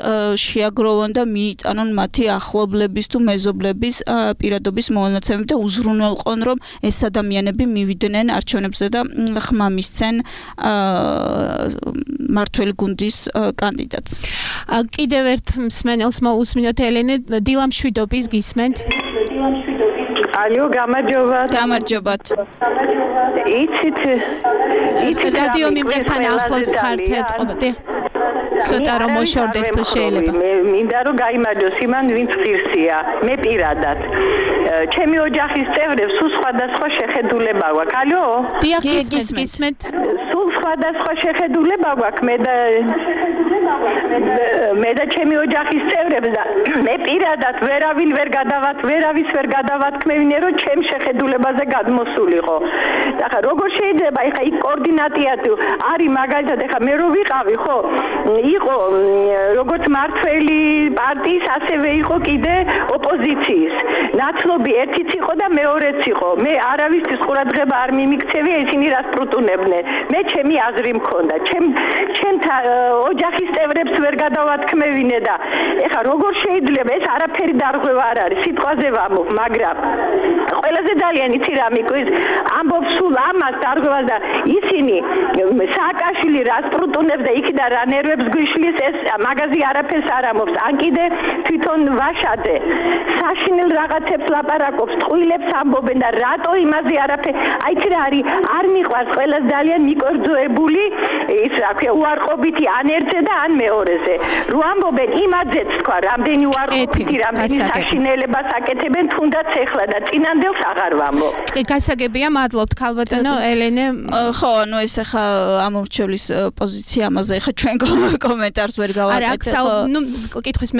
შეაგროვონ და მიიტანონ მათი ახლობლების თუ მეზობლების პირადობის მონაცემები და უზრუნველყონ, რომ ეს ადამიანები მივიდნენ არჩევნებზე და ხმა მისცენ მართველი გუნდის კანდიდატს. კიდევ ერთ მსმენელს მოусმინოთ, ელენე, დილამშვიდობის გისმენთ? ალო, გამარჯობათ. გამარჯობათ. იცით, იცით რადიო მიმღებთან ახლოს ხართ ეთყობდი. ცოტა რომ მოშორდეთ თუ შეიძლება. მინდა რომ გაიმარჯოს იმან, ვინც ღირსია. მე პირადად. ჩემი ოჯახის წევრებს სულ სხვადასხვა შეხედულება გვაქვს. ალო? დიახ, გისმენთ. სულ სხვადასხვა შეხედულება გვაქვს. მე და მე და ჩემი ოჯახის წევრებს და მე პირადად ვერავინ ვერ გადავათ, ვერავის ვერ გადავათქმევინე, რომ ჩემ შეხედულებაზე გადმოსულიყო. ახლა როგორ შეიძლება, ახლა იქ კოორდინატია თუ არის მაგალითად, ახლა მე რო ვიყავი, ხო? იყო როგორც მართველი პარტიის, ასევე იყო კიდე ოპოზიციის. ნაცნობი ერთიც იყო და მეორეც იყო. მე არავისთვის ყურადღება არ მიმიქცევია, ისინი რას პრუტუნებდნენ. მე ჩემი აზრი მქონდა. ჩემ ჩემთა ოჯახის წევრებს ვერ გადავათქმევინე და ეხლა როგორ შეიძლება ეს არაფერი დარღვევა არ არის სიტყვაზე ვამბობ, მაგრამ ყველაზე ძალიან იცი რა მიკვირს ამბობს სულ ამას დარღვევას და ისინი სააკაშვილი რას პრუტუნებს და იქიდან რა ნერვებს გვიშლის ეს მაგაზი არაფერს არ ამბობს. ან კიდე თვითონ ვაშაძე საშინელ რაღაცებს ლაპარაკობს, ტყუილებს ამბობენ და რატო იმაზე არაფერი აიცი რა არის არ მიყვარს ყველას ძალიან მიკერძოებული ის რა ქვია უარყოფითი ან ერთზე და ან მეორეზე. რო ამბობენ იმაძეც თქვა რამდენი უარყოფითი რამდენი საშინელებას აკეთებენ თუნდაც ეხლა და წინანდელს აღარ ვამბობ. გასაგებია, მადლობთ ქალბატონო ელენე. ხო, ანუ ეს ახლა ამორჩევლის პოზიცია ამაზე ახლა ჩვენ კომენტარს ვერ გავაკეთებ. ხო, ნუ კითხვის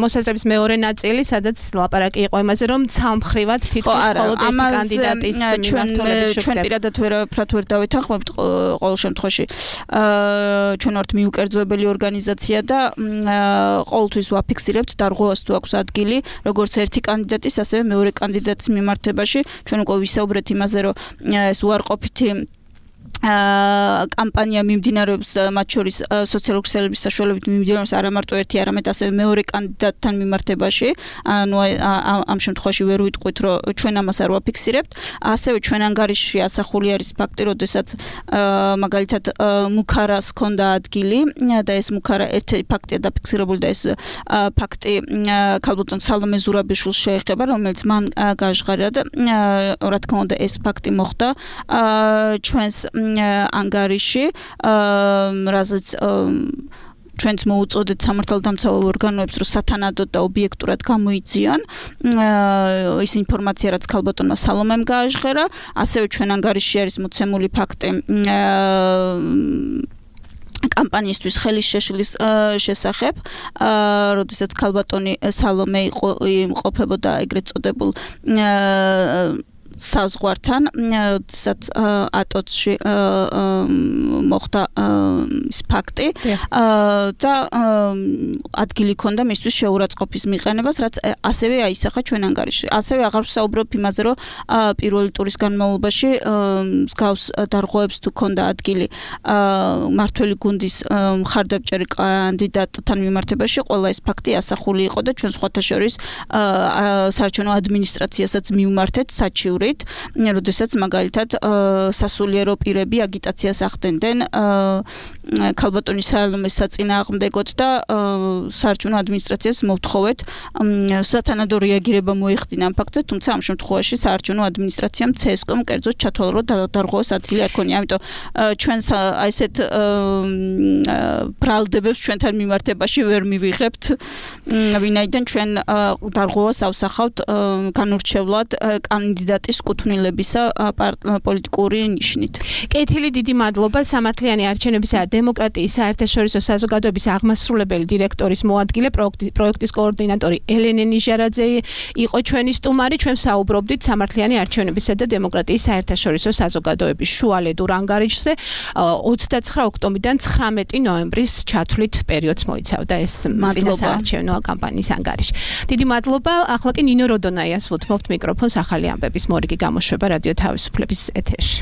მოსაზრების მეორე ნაწილი, სადაც ლაპარაკი იყო იმაზე, რომ ცალმხრივად თითქოს მხოლოდ ერთი კანდიდატის მიმართულებით ჩვენ პირადად ვერაფრად ვერ დავეთანხმებთ ყოველ შემთხვევაში. ჩვენ ვართ მიუკერძოებელი ორგანიზაცია და ყოველთვის ვაფიქსირებთ დარღვევას თუ აქვს ადგილი, როგორც ერთი კანდიდატის, ასევე მეორე კანდიდატის მიმართებაში. ჩვენ უკვე ვისაუბრეთ იმაზე, რომ ეს უარყოფითი კამპანია მიმდინარეობს მათ შორის სოციალური ქსელების საშუალებით მიმდინარეობს არა მარტო ერთი, არამედ ასევე მეორე კანდიდატთან მიმართებაში. ანუ ამ შემთხვევაში ვერ ვიტყვით, რომ ჩვენ ამას არ ვაფიქსირებთ. ასევე ჩვენ ანგარიშში ასახული არის ფაქტი, როდესაც მაგალითად მუქარას ჰქონდა ადგილი და ეს მუქარა ერთი ფაქტია დაფიქსირებული და ეს ფაქტი ქალბატონ სალომე ზურაბიშვილს შეეხება, რომელიც მან გაჟღერა და რა თქმა უნდა ეს ფაქტი მოხდა ჩვენს ანგარიში, რაზეც ჩვენც მოუწოდეთ სამართალდამცავ ორგანოებს, რომ სათანადოდ და ობიექტურად გამოიძიონ ის ინფორმაცია, რაც ქალბატონმა სალომემ გააჟღერა. ასევე ჩვენ ანგარიში არის მოცემული ფაქტი კამპანიისთვის ხელის შეშლის შესახებ, როდესაც ქალბატონი სალომე იმყოფებოდა ეგრეთ წოდებულ საზღვართან, როდესაც ატოცში მოხდა ის ფაქტი და ადგილი ჰქონდა მისთვის შეურაცხყოფის მიყენებას, რაც ასევე აისახა ჩვენ ანგარიში. ასევე აღარ ვსაუბრობ იმაზე, რომ პირველი ტურის განმავლობაში მსგავს დარღვევებს თუ ჰქონდა ადგილი მართველი გუნდის მხარდამჭერი კანდიდატთან მიმართებაში, ყველა ეს ფაქტი ასახული იყო და ჩვენ სხვათა შორის საარჩევნო ადმინისტრაციასაც მივმართეთ საჩივრით, როდესაც მაგალითად სასულიერო პირები აგიტაციას ახდენდნენ ქალბატონის სალომეს საწინააღმდეგოდ და საარჩევნო ადმინისტრაციას მოვთხოვეთ სათანადო რეაგირება მოეხდინა ამ ფაქტზე, თუმცა ამ შემთხვევაში საარჩევნო ადმინისტრაციამ ცესკომ კერძოდ ჩათვალა, რომ დარღვევას ადგილი არ ქონია. ამიტომ ჩვენს აი ესეთ ბრალდებებს ჩვენთან მიმართებაში ვერ მივიღებთ, ვინაიდან ჩვენ დარღვევას ავსახავთ განურჩევლად კანდიდატის კუთვნილებისა პოლიტიკური ნიშნით. კეთილი, დიდი მადლობა. სამართლიანი არჩევნებისა და დემოკრატიის საერთაშორისო საზოგადოების აღმასრულებელი დირექტორის მოადგილე, პროექტის კოორდინატორი ელენე ნიჟარაძე იყო ჩვენი სტუმარი. ჩვენ საუბრობდით სამართლიანი არჩევნებისა და დემოკრატიის საერთაშორისო საზოგადოების შუალედურ ანგარიშზე. ოცდაცხრა ოქტომბრიდან ცხრამეტი ნოემბრის ჩათვლით პერიოდს მოიცავდა ეს წინასაარჩევნო კამპანიის ანგარიში. დიდი მადლობა. ახლა კი ნინო როდონაიას ვუთმობთ მიკროფონს ახალი ამბების მორიგი გამოშვება რადიო თავისუფლების ეთერში.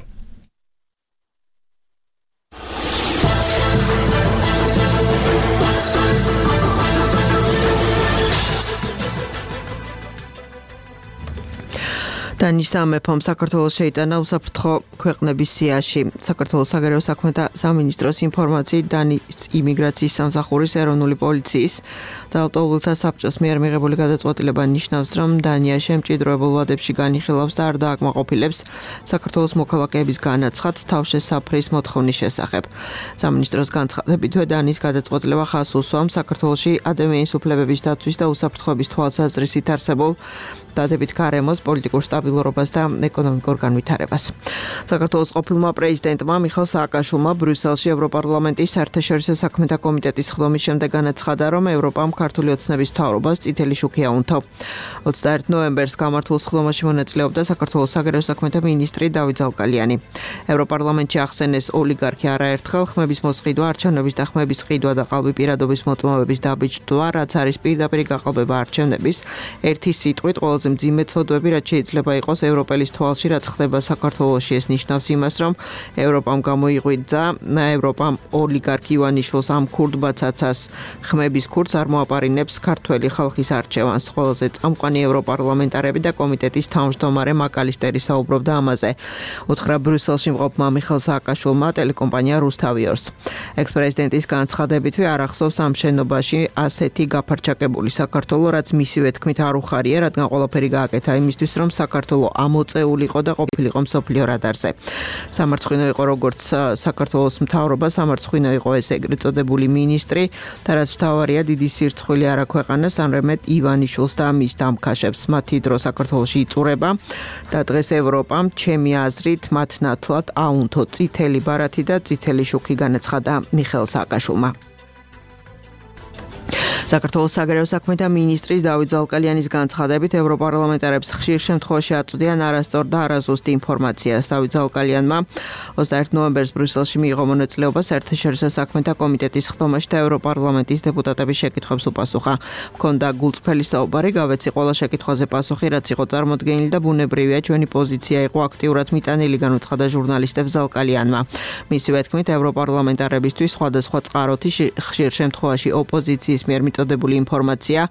დანის სამეფომ საქართველოს შეიტანა უსაფრთხო ქვეყნების სიაში. საქართველოს საგარეო საქმეთა სამინისტროს ინფორმაციით დანის იმიგრაციის სამსახურის ეროვნული პოლიციის და ავტოულთა საბჭოს მიერ მიღებული გადაწყვეტილება ნიშნავს, რომ დანიაში მჭიდროებულ ვადებში განიხილავს და არ დააკმაყოფილებს საქართველოს მოქალაქეების განაცხადს თავშესაფრის მოთხოვნის შესახებ. სამინისტროს განცხადებითვე დანის გადაწყვეტილება ხაზს უსვამს საქართველოში ადამიანის უფლებების დაცვის და უსაფრთხოების თვალსაზრისით არსებულ დადებით გარემოს პოლიტიკურ სტაბილურობას და ეკონომიკურ განვითარებას. საქართველოს ყოფილმა პრეზიდენტმა მიხაილ სააკაშვილმა ბრიუსელში ევროპარლამენტის საერთაშორისო საქმეთა კომიტეტის ხდომის შემდეგ განაცხადა, რომ ევროპამ ქართული ოცნების მთავრობას წითელი შუქი აუნთო. ოცდაერთი ნოემბერს გამართულ სხდომაში მონაწილეობდა საქართველოს საგარეო საქმეთა მინისტრი დავით ზალკალიანი. ევროპარლამენტში ახსენეს ოლიგარქი არაერთხელ ხმების მოსყიდვა, არჩევნების და ხმების ყიდვა და ყალბი პირადობის მოწმობების დაბიჭდვა, რაც არის პირდაპირ გაყალბება არჩევნების, ერთი სიტყვით ყველაზე მძიმე ცოდვები, რაც შეიძლება იყოს ევროპელის თვალში, რაც ხდება საქართველოში. ეს ნიშნავს იმას, რომ ევროპამ გამოიღვიძა, ევროპამ ოლიგარქი ივანიშვილს ამ ქურდ ბაცაცას ხმების ქურდს არ მოაპარინებს ქართველი ხალხის არჩევანს. ყველაზე წამყვანი ევროპარლამენტარები და კომიტეტის თავმჯდომარე მაკალისტერი საუბრობდა ამაზე. უთხრა ბრიუსელში მყოფმა მიხეილ სააკაშვილმა ტელეკომპანია რუსთავიორს. ექს-პრეზიდენტის განცხადებითვე არ ახსოვს ამ შენობაში ასეთი გაფარჩაკებული საქართველო, რაც მისივე თქმით არ უხარია, რადგან ყველაფერი გააკეთა იმისთვის, რომ საქართველო ამოწეულიყო და ყოფილიყო მსოფლიო რადარზე. სამარცხვინო იყო როგორც საქართველოს მთავრობა, სამარცხვინო იყო ეს ეგრეთ წოდებული მინისტრი და რაც მთავარია დიდი სირცხვილი არ აქვეყანეს ამრემეთ ივანიშვილს და მის დამქაშებს. მათი დრო საქართველოში იწურება და დღეს ევროპამ ჩემი აზრით მათ ნათლად აუნთო წითელი ბარათი და წითელი შუქი განაცხადა მიხეილ სააკაშვილმა. საქართველოს საგარეო საქმეთა მინისტრის დავით ზალკალიანის განცხადებით ევროპარლამენტარებს ხშირ შემთხვევაში აწვდიან არასწორ და არაზუსტ ინფორმაციას. დავით ზალკალიანმა ოცდაერთი ნოემბერს ბრიუსელში მიიღო მონაწილეობა საერთაშორისო საქმეთა კომიტეტის სხდომაში და ევროპარლამენტის დეპუტატების შეკითხვებს უპასუხა. მქონდა გულწრფელი საუბარი, გავეცი ყველა შეკითხვაზე პასუხი, რაც იყო წარმოდგენილი და ბუნებრივია, ჩვენი პოზიცია იყო აქტიურად მიტანილი, განუცხადა ჟურნალისტებს ზალკალიანმა. მისივე თქმით, ევროპარლამენტარებისთვის სხვადასხვა წყაროთი ხშირ შემთხვევაში ოპოზიციის მიერ მიწოდებული ინფორმაცია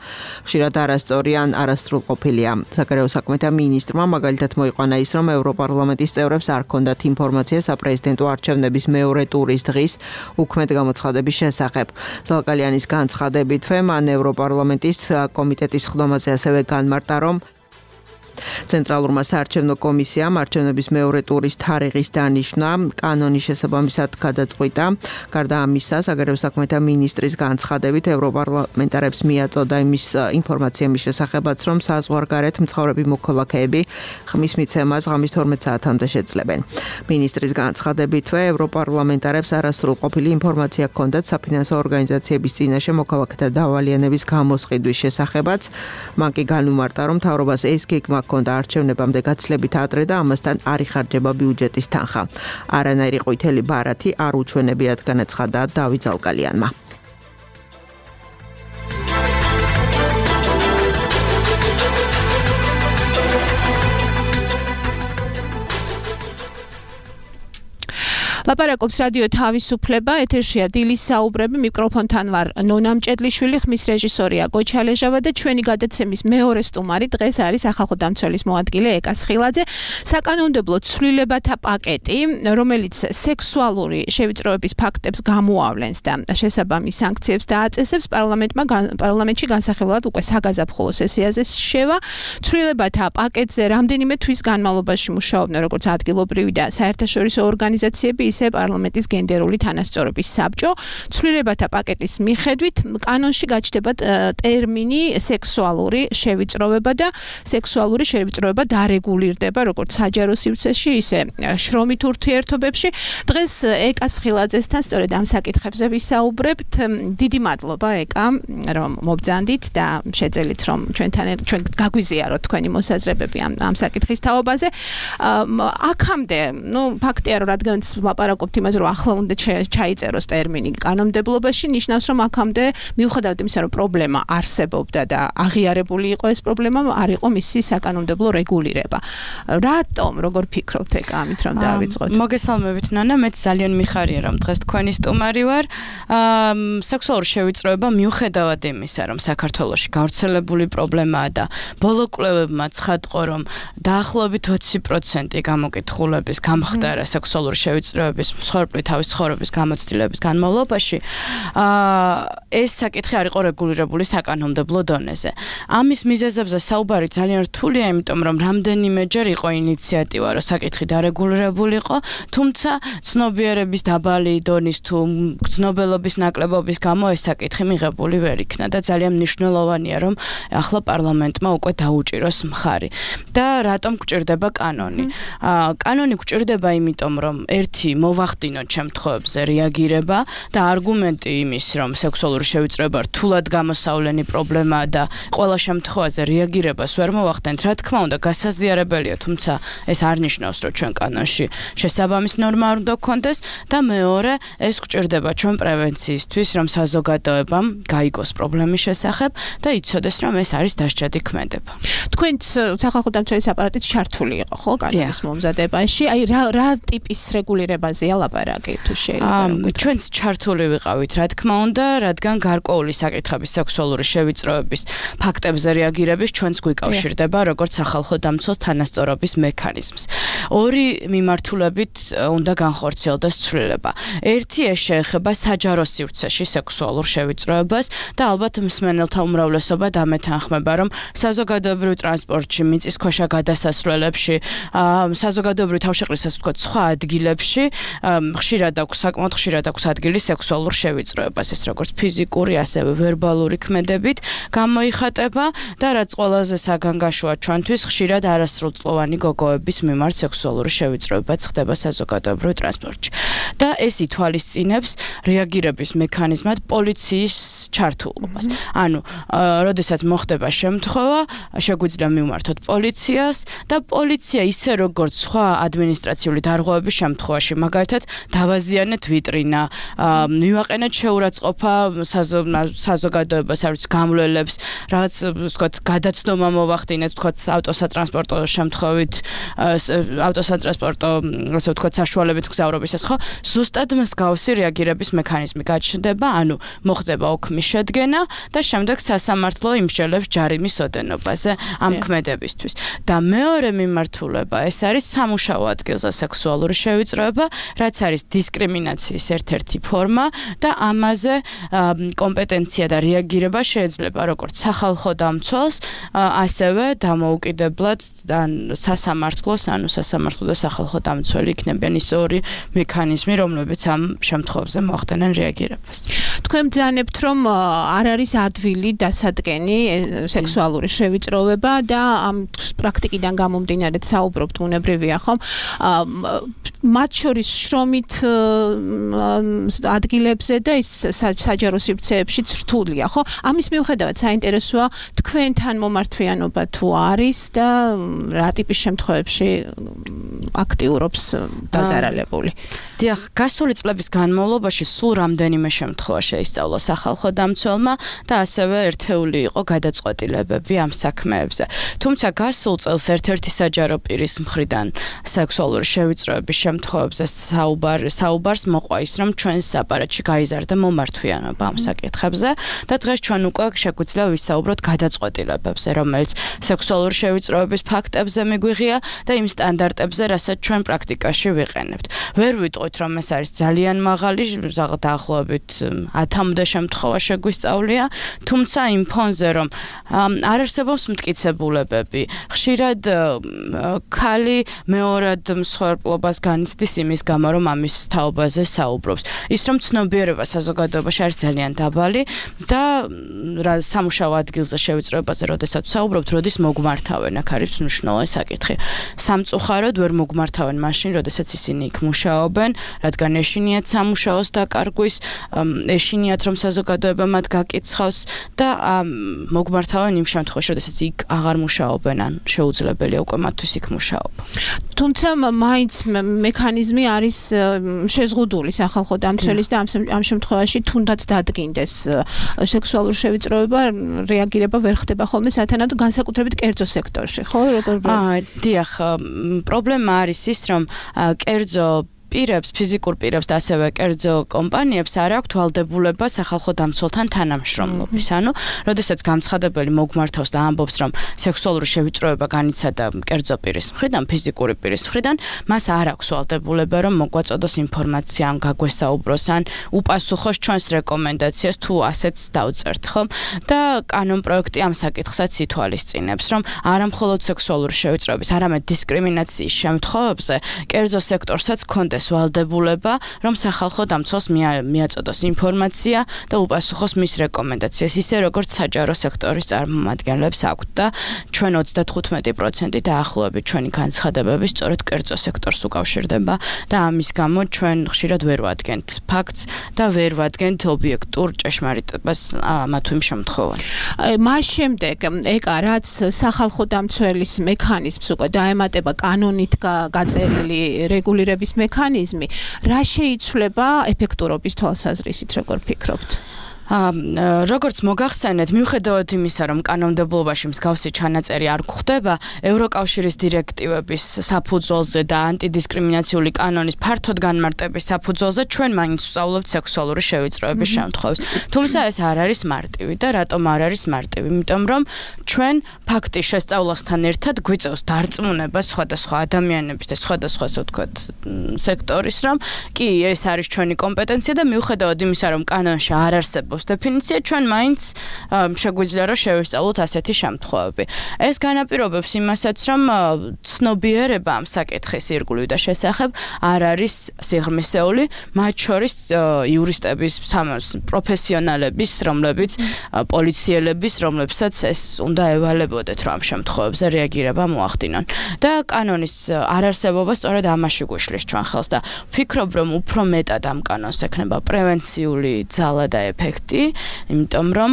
ხშირად არასწორი ან არასრულყოფილია. საგარეო საქმეთა მინისტრმა მაგალითად მოიყვანა ის, რომ ევროპარლამენტის წევრებს არ ჰქონდათ ინფორმაცია საპრეზიდენტო არჩევნების მეორე ტურის დღის უქმედ გამოცხადების შესახებ. ზალკალიანის განცხადებითვე მან ევროპარლამენტის კომიტეტის სხდომაზე ასევე განმარტა, რომ ცენტრალურმა საარჩევნო კომისიამ არჩევნების მეორე ტურის თარიღის დანიშვნა კანონის შესაბამისად გადაწყვიტა. გარდა ამისა, საგარეო საქმეთა მინისტრის განცხადებით ევროპარლამენტარებს მიაწოდა იმის ინფორმაცია მის შესახებაც, რომ საზღვარგარეთ მცხოვრები მოქალაქეები ხმის მიცემას ღამის თორმეტ საათამდე შეძლებენ. მინისტრის განცხადებითვე ევროპარლამენტარებს არასრულყოფილი ინფორმაცია ჰქონდათ საფინანსო ორგანიზაციების წინაშე მოქალაქეთა დავალიანების გამოსყიდვის შესახებაც. მან კი განუმარტა, რომ მთავრობას ეს გეგმა ჰქონდა არჩევნებამდე გაცილებით ადრე და ამასთან არ იხარჯება ბიუჯეტის თანხა. არანაირი ყვითელი ბარათი არ უჩვენებიათ, განაცხადა დავით ზალკალიანმა. ლაპარაკობს რადიო თავისუფლება, ეთერშია დილის საუბრები, მიკროფონთან ვარ ნონა მჭედლიშვილი, ხმის რეჟისორია გოჩა ლეჟავა და ჩვენი გადაცემის მეორე სტუმარი დღეს არის სახალხო დამცველის მოადგილე ეკა სხილაძე. საკანონმდებლო ცვლილებათა პაკეტი, რომელიც სექსუალური შევიწროების ფაქტებს გამოავლენს და შესაბამის სანქციებს დააწესებს, პარლამენტმა პარლამენტში განსახილველად უკვე საგაზაფხულო სესიაზე შევა. ცვლილებათა პაკეტზე რამდენიმე თვის განმავლობაში მუშაობდნენ როგორც ადგილობრივი და საერთაშორისო ორგანიზაციები, ისე პარლამენტის გენდერული თანასწორობის საბჭო. ცვლილებათა პაკეტის მიხედვით კანონში გაჩნდება ტერმინი სექსუალური შევიწროვება და სექსუალური შევიწროვება დარეგულირდება როგორც საჯარო სივრცეში, ისე შრომით ურთიერთობებში. დღეს ეკა სხილაძესთან სწორედ ამ საკითხებზე ვისაუბრებთ. დიდი მადლობა ეკა, რომ მობრძანდით და შეძელით, რომ ჩვენთან ჩვენ გაგვიზიაროთ თქვენი მოსაზრებები ამ ამ საკითხის თაობაზე. აქამდე, ну, ფაქტია, რომ რადგანაც ლაპარაკობთ იმაზე, რომ ახლა უნდა ჩაიწეროს ტერმინი კანონმდებლობაში, ნიშნავს, რომ აქამდე მიუხედავად იმისა, რომ პრობლემა არსებობდა და აღიარებული იყო ეს პრობლემა, არ იყო მისი საკანონმდებლო რეგულირება. რატომ, როგორ ფიქრობთ ეკა ამით, რომ დავიწყოთ? მოგესალმებით ნანა, მეც ძალიან მიხარია, რომ დღეს თქვენი სტუმარი ვარ. სექსუალური შევიწროება მიუხედავად იმისა, რომ საქართველოში გავრცელებული პრობლემაა და ბოლო კვლევებმა ცხადყო, რომ დაახლოებით ოცი პროცენტი გამოკითხულების გამხდარა სექსუალური შევიწროების მსხვერპლი თავის ცხოვრების გამოცდილების განმავლობაში, ეს საკითხი არ იყო რეგულირებული საკანონმდებლო დონეზე. ამის მიზეზებზე საუბარი ძალიან რთულია, იმიტომ რომ რამდენიმეჯერ იყო ინიციატივა, რომ საკითხი დარეგულირებულიყო, თუმცა ცნობიერების დაბალი დონის თუ ცნობელობის ნაკლებობის გამო ეს საკითხი მიღებული ვერ იქნა და ძალიან მნიშვნელოვანია, რომ ახლა პარლამენტმა უკვე დაუჭიროს მხარი. და რატომ გვჭირდება კანონი? კანონი გვჭირდება იმიტომ, რომ ერთი მოვახდინოთ შემთხვევებზე რეაგირება და არგუმენტი იმის, რომ სექსუალური შევიწროება რთულად გამოსავლენი პრობლემაა და ყველა შემთხვევაზე რეაგირებას ვერ მოვახდენთ, რა თქმა უნდა, გასაზიარებელია, თუმცა ეს არ ნიშნავს, რომ ჩვენ კანონში შესაბამის ნორმა არ უნდა გქონდეს და მეორე, ეს გვჭირდება ჩვენ პრევენციისთვის, რომ საზოგადოებამ გაიგოს პრობლემის შესახებ და იცოდეს, რომ ეს არის დასჯადი ქმედება. თქვენც სახალხო დამცველის აპარატით ჩართული იყო, ხო, კანონის მომზადებაში? აი რა რა ტიპის რეგულირებაზეა ლაპარაკი თუ შეიძლება? ჩვენც ჩართული ვიყავით, რა თქმა უნდა, რადგან გარკვეული საკითხების სექსუალური შევიწროების ფაქტებზე რეაგირების ჩვენც გვიკავშირდება, როგორც სახალხო დამცველს თანასწორობის მექანიზმს. ორი მიმართულებით უნდა განხორციელდეს ცვლილება. ერთი ეს შეეხება საჯარო სივრცეში სექსუალურ შევიწროებას და ალბათ მსმენელთა უმრავლესობა დამეთანხმება, რომ საზოგადოებრივ ტრანსპორტში, მიწისქვეშა გადასასვლელებში, საზოგადოებრივ თავშეყრისას ვთქვათ, სხვა ადგილებში ხშირად აქვს, საკმაოდ ხშირად აქვს ადგილი სექსუალურ შევიწროებას, ეს როგორც ფიზიკური, ასევე ვერბალური ქმედებით გამოიხატება და რაც ყველაზე საგანგაშოა ჩვენთვის, ხშირად არასრულწლოვანი გოგოების მიმართ სექსუალური შევიწროებაც ხდება საზოგადოებრივ ტრანსპორტში. და ეს ითვალისწინებს რეაგირების მექანიზმად პოლიციის ჩართულობას. ანუ, როდესაც მოხდება შემთხვევა, შეგვიძლია მივმართოთ პოლიციას და პოლიცია ისე როგორც სხვა ადმინისტრაციული დარღვევების შემთხვევაში, მაგალითად, დავაზიანეთ ვიტრინა, მივაყენეთ შეურაცხყოფა საზოგადოებას, არ ვიცი, გამლველებს, რაღაც, ვთქვათ, გადაცდომა მოვახდინეთ, ვთქვათ, ავტოსატრანსპორტო შემთხვევით, ავტოსატრანსპორტო, ასე ვთქვათ, საშუალებით გზავრობისას, ხო? ზუსტად მსგავსი რეაგირების მექანიზმი გაჩნდება, ანუ მოხდება ოქმის შედგენა და შემდეგ სასამართლო იმსჯელებს ჯარიმის ოდენობაზე ამ ქმედებისთვის. და მეორე მიმართულება, ეს არის სამუშაო ადგილზე სექსუალური შევიწროება, რაც არის დისკრიმინაციის ერთ-ერთი ფორმა და ამაზე კომპეტენცია და რეაგირება შეიძლება როგორც სახალხო დამცველს, ასევე დამოუკიდებლად და სასამართლოს, ანუ სასამართლო და სახალხო დამცველი იქნებიან ის ორი მექანიზმი, რომლებიც ამ შემთხვევებზე მოახდენენ რეაგირებას. თქვენ ბრძანებთ, რომ არ არის ადვილი დასადგენი სექსუალური შევიწროება და ამ პრაქტიკიდან გამომდინარე საუბრობთ, უნებრივია, ხომ? მათ შორის შრომით ადგილებზე და ის საჯარო სივრცეებშიც რთულია, ხო? ამის მიუხედავად საინტერესოა თქვენთან მომართვიანობა თუ არის და რა ტიპის შემთხვევებში აქტიურობს დაზარალებული. დიახ, გასული წლების განმავლობაში სულ რამდენიმე შემთხვევა შეისწავლა სახალხო დამცველმა და ასევე ერთეული იყო გადაწყვეტილებები ამ საქმეებზე. თუმცა გასულ წელს ერთ-ერთი საჯარო პირის მხრიდან სექსუალური შევიწროების შემთხვევებზე საუბარ საუბარს მოყვა ის, რომ ჩვენს აპარატში გაიზარდა მომართვიანობა ამ საკითხებზე და დღეს ჩვენ უკვე შეგვიძლია ვისაუბროთ გადაწყვეტილებებზე, რომელიც სექსუალური შევიწროების ფაქტებზე მიგვიღია და იმ სტანდარტებზე, რასაც ჩვენ პრაქტიკაში ვიყენებთ. ვერ ვიტყვით, რომ ეს არის ძალიან მაღალი, დაახლოებით ათამდე შემთხვევა შეგვისწავლია, თუმცა იმ ფონზე, რომ არ არსებობს მტკიცებულებები, ხშირად ქალი მეორად მსხვერპლობას განიცდის იმის გამო, რომ ამის თაობაზე საუბრობს. ის რომ ცნობიერება საზოგადოებაში არის ძალიან დაბალი და სამუშაო ადგილზე შევიწროებაზე, როდესაც საუბრობთ, როდის მოგმართავენ, აქ არის მნიშვნელოვანი საკითხი. სამწუხაროდ ვერ მოგმართავენ მაშინ, როდესაც ისინი იქ მუშაობენ, რადგან ეშინიათ სამუშაოს დაკარგვის, ეშინიათ რომ საზოგადოება მათ გაკიცხავს და მოგმართავენ იმ შემთხვევაში, როდესაც იქ აღარ მუშაობენ, ან შეუძლებელია უკვე მათთვის იქ მუშაობა. თუმცა მაინც მექანიზმი არის შეზღუდული სახალხო დამცველის და ამ შემთხვევაში თუნდაც დადგინდეს სექსუალური შევიწროება, რეაგირება ვერ ხდება ხოლმე სათანადო განსაკუთრებით კერძო სექტორში, ხო? როგორ? აა, დიახ, პრობლემა არის ის, რომ კერძო პირებს, ფიზიკურ პირებს და ასევე კერძო კომპანიებს არ აქვთ ვალდებულება სახალხო დამცველთან თანამშრომლობის. ანუ, როდესაც გამცხადებელი მოგმართავს და ამბობს, რომ სექსუალური შევიწროება განიცადა კერძო პირის მხრიდან, ფიზიკური პირის მხრიდან, მას არ აქვს ვალდებულება, რომ მოგვაწოდოს ინფორმაცია, ან გაგვესაუბროს, ან უპასუხოს ჩვენს რეკომენდაციას, თუ ასეც დავწერთ, ხომ? და კანონ პროექტი ამ საკითხსაც ითვალისწინებს, რომ არა მხოლოდ სექსუალური შევიწროების, არამედ დისკრიმინაციის შემთხვევებზე კერძო სექტორსაც ჰქონდეს მოუწოდეს ვალდებულება, რომ სახალხო დამცველს მიაწოდოს ინფორმაცია და უპასუხოს მის რეკომენდაციას, ისე როგორც საჯარო სექტორის წარმომადგენლებს აქვთ და ჩვენ ოცდათხუთმეტი პროცენტი დაახლოებით ჩვენი განცხადებები სწორედ კერძო სექტორს უკავშირდება და ამის გამო ჩვენ ხშირად ვერ ვადგენთ ფაქტს და ვერ ვადგენთ ობიექტურ ჭეშმარიტებას მათ იმ შემთხვევას. მას შემდეგ ეკა რაც სახალხო დამცველის მექანიზმს უკვე დაემატება კანონით გაწერილი რეგულირების მექანიზმი, რა შეიცვლება ეფექტურობის თვალსაზრისით, როგორ ფიქრობთ? როგორც მოგახსენეთ, მიუხედავად იმისა, რომ კანონმდებლობაში მსგავსი ჩანაწერი არ გვხვდება, ევროკავშირის დირექტივების საფუძველზე და ანტიდისკრიმინაციული კანონის ფართოდ განმარტების საფუძველზე ჩვენ მაინც ვსწავლობთ სექსუალური შევიწროების შემთხვევებს. თუმცა ეს არ არის მარტივი და რატომ არ არის მარტივი? იმიტომ რომ ჩვენ ფაქტის შესწავლასთან ერთად გვიწევს დარწმუნება სხვადასხვა ადამიანების და სხვადასხვა ასე ვთქვათ სექტორის, რომ კი ეს არის ჩვენი კომპეტენცია და მიუხედავად იმისა, რომ კანონში არ არსებობს დეფინიცია, ჩვენ მაინც შეგვიძლია რომ შევისწავლოთ ასეთი შემთხვევები. ეს განაპირობებს იმასაც, რომ ცნობიერება ამ საკითხის ირგვლივ და შესახებ არ არის სიღრმისეული, მათ შორის იურისტების, პროფესიონალების, რომლებიც პოლიციელების, რომლებსაც ეს უნდა ევალებოდეთ, რომ ამ შემთხვევებზე რეაგირება მოახდინონ. და კანონის არარსებობა სწორედ ამაში გვიშლის ჩვენ ხელს და ვფიქრობ, რომ უფრო მეტად ამ კანონს ექნება პრევენციული ძალა და ეფექტი, იმიტომ რომ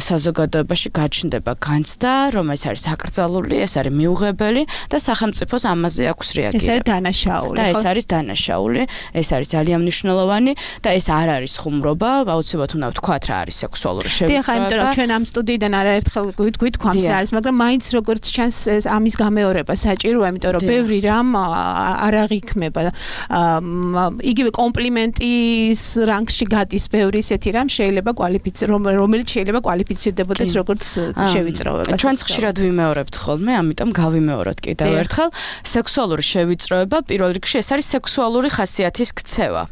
საზოგადოებაში გაჩნდება განცდა, რომ ეს არის აკრძალული, ეს არის მიუღებელი და სახელმწიფოს ამაზე აქვს რეაგირება. ეს არის დანაშაული. და ეს არის დანაშაული, ეს არის ძალიან მნიშვნელოვანი და ეს არ არის ხუმრობა, აუცილებლად უნდა ვთქვათ რა არის სექსუალური შევიწროება. დიახ, იმიტომ რომ ჩვენ ამ სტუდიიდან არაერთხელ გვითქვამს რა არის, მაგრამ მაინც როგორც ჩანს ამის გამეორება საჭიროა, იმიტომ რომ ბევრი რამ არ აღიქმება. იგივე კომპლიმენტის რანგში გადის ბევრი ისეთი რამ შეიძლება კვალიფიცირდეს, რომელიც შეიძლება კვალიფიცირდებოდეს როგორც შევიწროება. ჩვენც ხშირად ვიმეორებთ ხოლმე, ამიტომ გავიმეოროთ კიდევ ერთხელ. სექსუალური შევიწროება პირველ რიგში ეს არის სექსუალური ხასიათის ქცევა,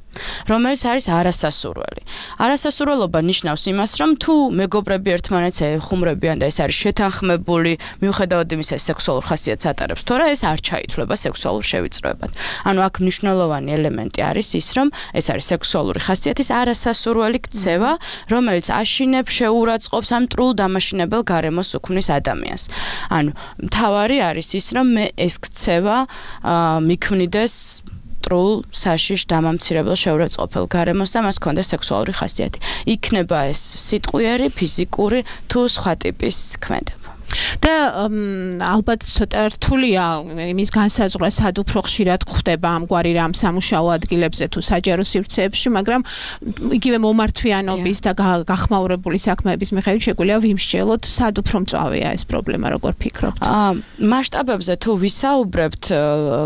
რომელიც არის არასასურველი. არასასურველობა ნიშნავს იმას, რომ თუ მეგობრები ერთმანეთს ეხუმრებიან და ეს არის შეთანხმებული, მიუხედავად იმისა, ეს სექსუალურ ხასიათს ატარებს, თორე ეს არ ჩაითვლება სექსუალურ შევიწროებად. ანუ აქ მნიშვნელოვანი ელემენტი არის ის, რომ ეს არის სექსუალური ხასიათის არასასურველი ქცევა, რომელიც აშინებს, შეურაცხყოფს ამ მტრულ დამაშინებელ გარემოს უქმნის ადამიანს. ანუ მთავარი არის ის, რომ მე ეს ქცევა მიქმნიდეს მტრულ, საშიშ, დამამცირებელ, შეურაცხყოფელ გარემოს და მას ჰქონდეს სექსუალური ხასიათი. იქნება ეს სიტყვიერი, ფიზიკური თუ სხვა ტიპის ქმედება. და ალბათ ცოტა რთულია იმის განსაზღვრა, სად უფრო ხშირად გვხდება ამგვარი რამ სამუშაო ადგილებზე თუ საჯარო სივრცეებში, მაგრამ იგივე მომართვიანობის და გახმაურებული საქმეების მიხედვით შეგვიძლია ვიმსჯელოთ, სად უფრო მწვავეა ეს პრობლემა, როგორ ფიქრობთ? მასშტაბებზე თუ ვისაუბრებთ,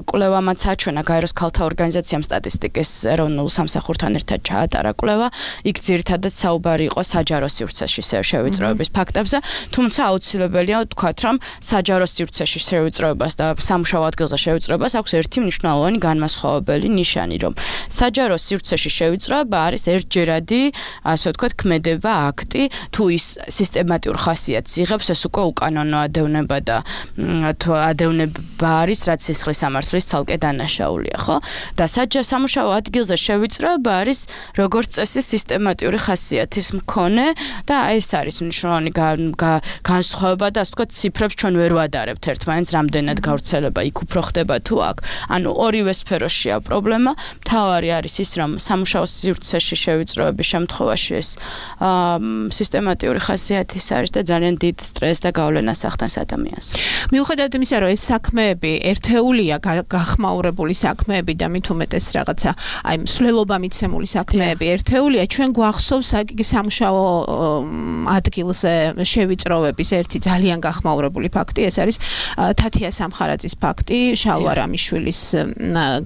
კვლევამაც აჩვენა გაეროს ქალთა ორგანიზაციამ სტატისტიკის ეროვნულ სამსახურთან ერთად ჩაატარა კვლევა, იქ ძირითადად საუბარი იყო საჯარო სივრცეში შევიწროების ფაქტებზე, თუმცა აუცილებელია ვთქვათ, რომ საჯარო სივრცეში შევიწროებას და სამუშაო ადგილზე შევიწროებას აქვს ერთი მნიშვნელოვანი განმასხვავებელი ნიშანი, რომ საჯარო სივრცეში შევიწროება არის ერთჯერადი, ასე ვთქვათ, ქმედება, აქტი, თუ ის სისტემატიურ ხასიათს იღებს, ეს უკვე უკანონო ადევნება და თუ ადევნება არის, რაც სისხლის სამართლის ცალკე დანაშაულია, ხო? და სამუშაო ადგილზე შევიწროება არის როგორც წესი სისტემატიური ხასიათის მქონე და ეს არის მნიშვნელოვანი განსხვავება და ასე ვთქვათ, ციფრებს ჩვენ ვერ ვადარებთ ერთმანეთს, რამდენად გავრცელება იქ უფრო ხდება თუ აქ. ანუ ორივე სფეროშია პრობლემა. მთავარი არის ის, რომ სამუშაო სივრცეში შევიწროების შემთხვევაში ეს სისტემატიური ხასიათის არის და ძალიან დიდ სტრესს და გავლენას ახდენს ადამიანს. მიუხედავად იმისა, რომ ეს საქმეები ერთეულია, გახმაურებული საქმეები და მით უმეტეს რაღაცა, აი მსვლელობა მიცემული საქმეები ერთეულია, ჩვენ გვახსოვს სამუშაო ადგილზე შევიწროების ერთი ძალიან გახმაურებული ფაქტი, ეს არის თათია სამხარაძის ფაქტი, შალვა რამიშვილის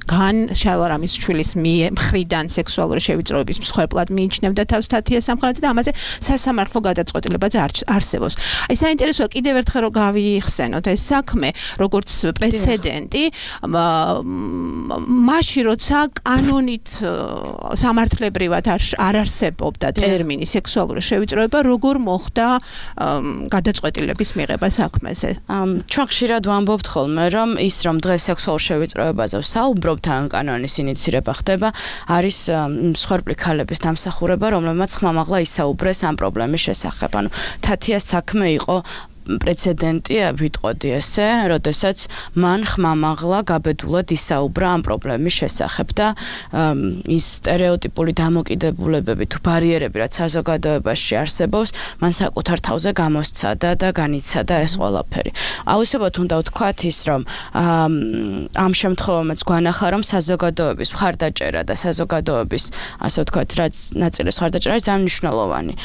გან შალვა რამიშვილის მხრიდან სექსუალური შევიწროების მსხვერპლად მიიჩნევდა თავს თათია სამხარაძე და ამაზე სასამართლო გადაწყვეტილებაც არსებობს. აი საინტერესოა კიდევ ერთხელ რომ გავიხსენოთ ეს საქმე, როგორც პრეცედენტი, მაშინ როცა კანონით სამართლებრივად არ არსებობდა ტერმინი სექსუალური შევიწროება, როგორ მოხდა გადაწყვეტილების მიღება. ეხება საქმეზე. ჩვენ ხშირად ვამბობთ ხოლმე, რომ ის რომ დღეს სექსუალურ შევიწროებაზე ვსაუბრობთ, ან კანონის ინიციირება ხდება, არის მსხვერპლი ქალების დამსახურება, რომლებმაც ხმამაღლა ისაუბრეს ამ პრობლემის შესახებ. ანუ თათიას საქმე იყო პრეცედენტი ვიტყოდი ესე, როდესაც მან ხმამაღლა გაბედულად ისაუბრა ამ პრობლემის შესახებ და ის სტერეოტიპული დამოკიდებულებები თუ ბარიერები, რაც საზოგადოებაში არსებობს, მან საკუთარ თავზე გამოსცადა და განიცადა ეს ყველაფერი. აუცილებლად უნდა ვთქვათ ის, რომ ამ შემთხვევაშიც გვანახა, რომ საზოგადოების მხარდაჭერა და საზოგადოების, ასე ვთქვათ, რაც ნაწილის მხარდაჭერა არის ძალიან მნიშვნელოვანი.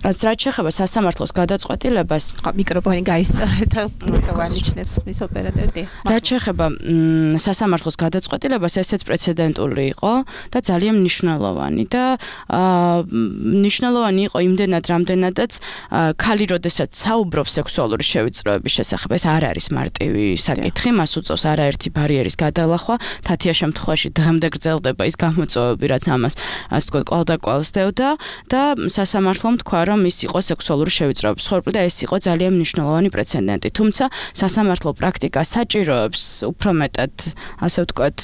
რაც შეეხება სასამართლოს გადაწყვეტილებას, მიკროფონი გაისწორეთ და ვანიშნებს მის ოპერატორი. რაც შეეხება სასამართლოს გადაწყვეტილებას, ესეც პრეცედენტული იყო და ძალიან მნიშვნელოვანი და მნიშვნელოვანი იყო იმდენად, რამდენადაც ქალი როდესაც საუბრობს სექსუალური შევიწროების შესახებ, ეს არ არის მარტივი საკითხი, მას უწევს არაერთი ბარიერის გადალახვა, თათია შემთხვევაში დღემდე გრძელდება ის გამოწვევები, რაც ამას ასე ვთქვათ, კვალდაკვალ სდევდა და სასამართლომ თქვა, რომ ის იყო სექსუალური შევიწროების მსხვერპლი და ეს იყო ძალიან მნიშვნელოვანი პრეცედენტი. თუმცა სასამართლო პრაქტიკა საჭიროებს უფრო მეტად, ასე ვთქვათ,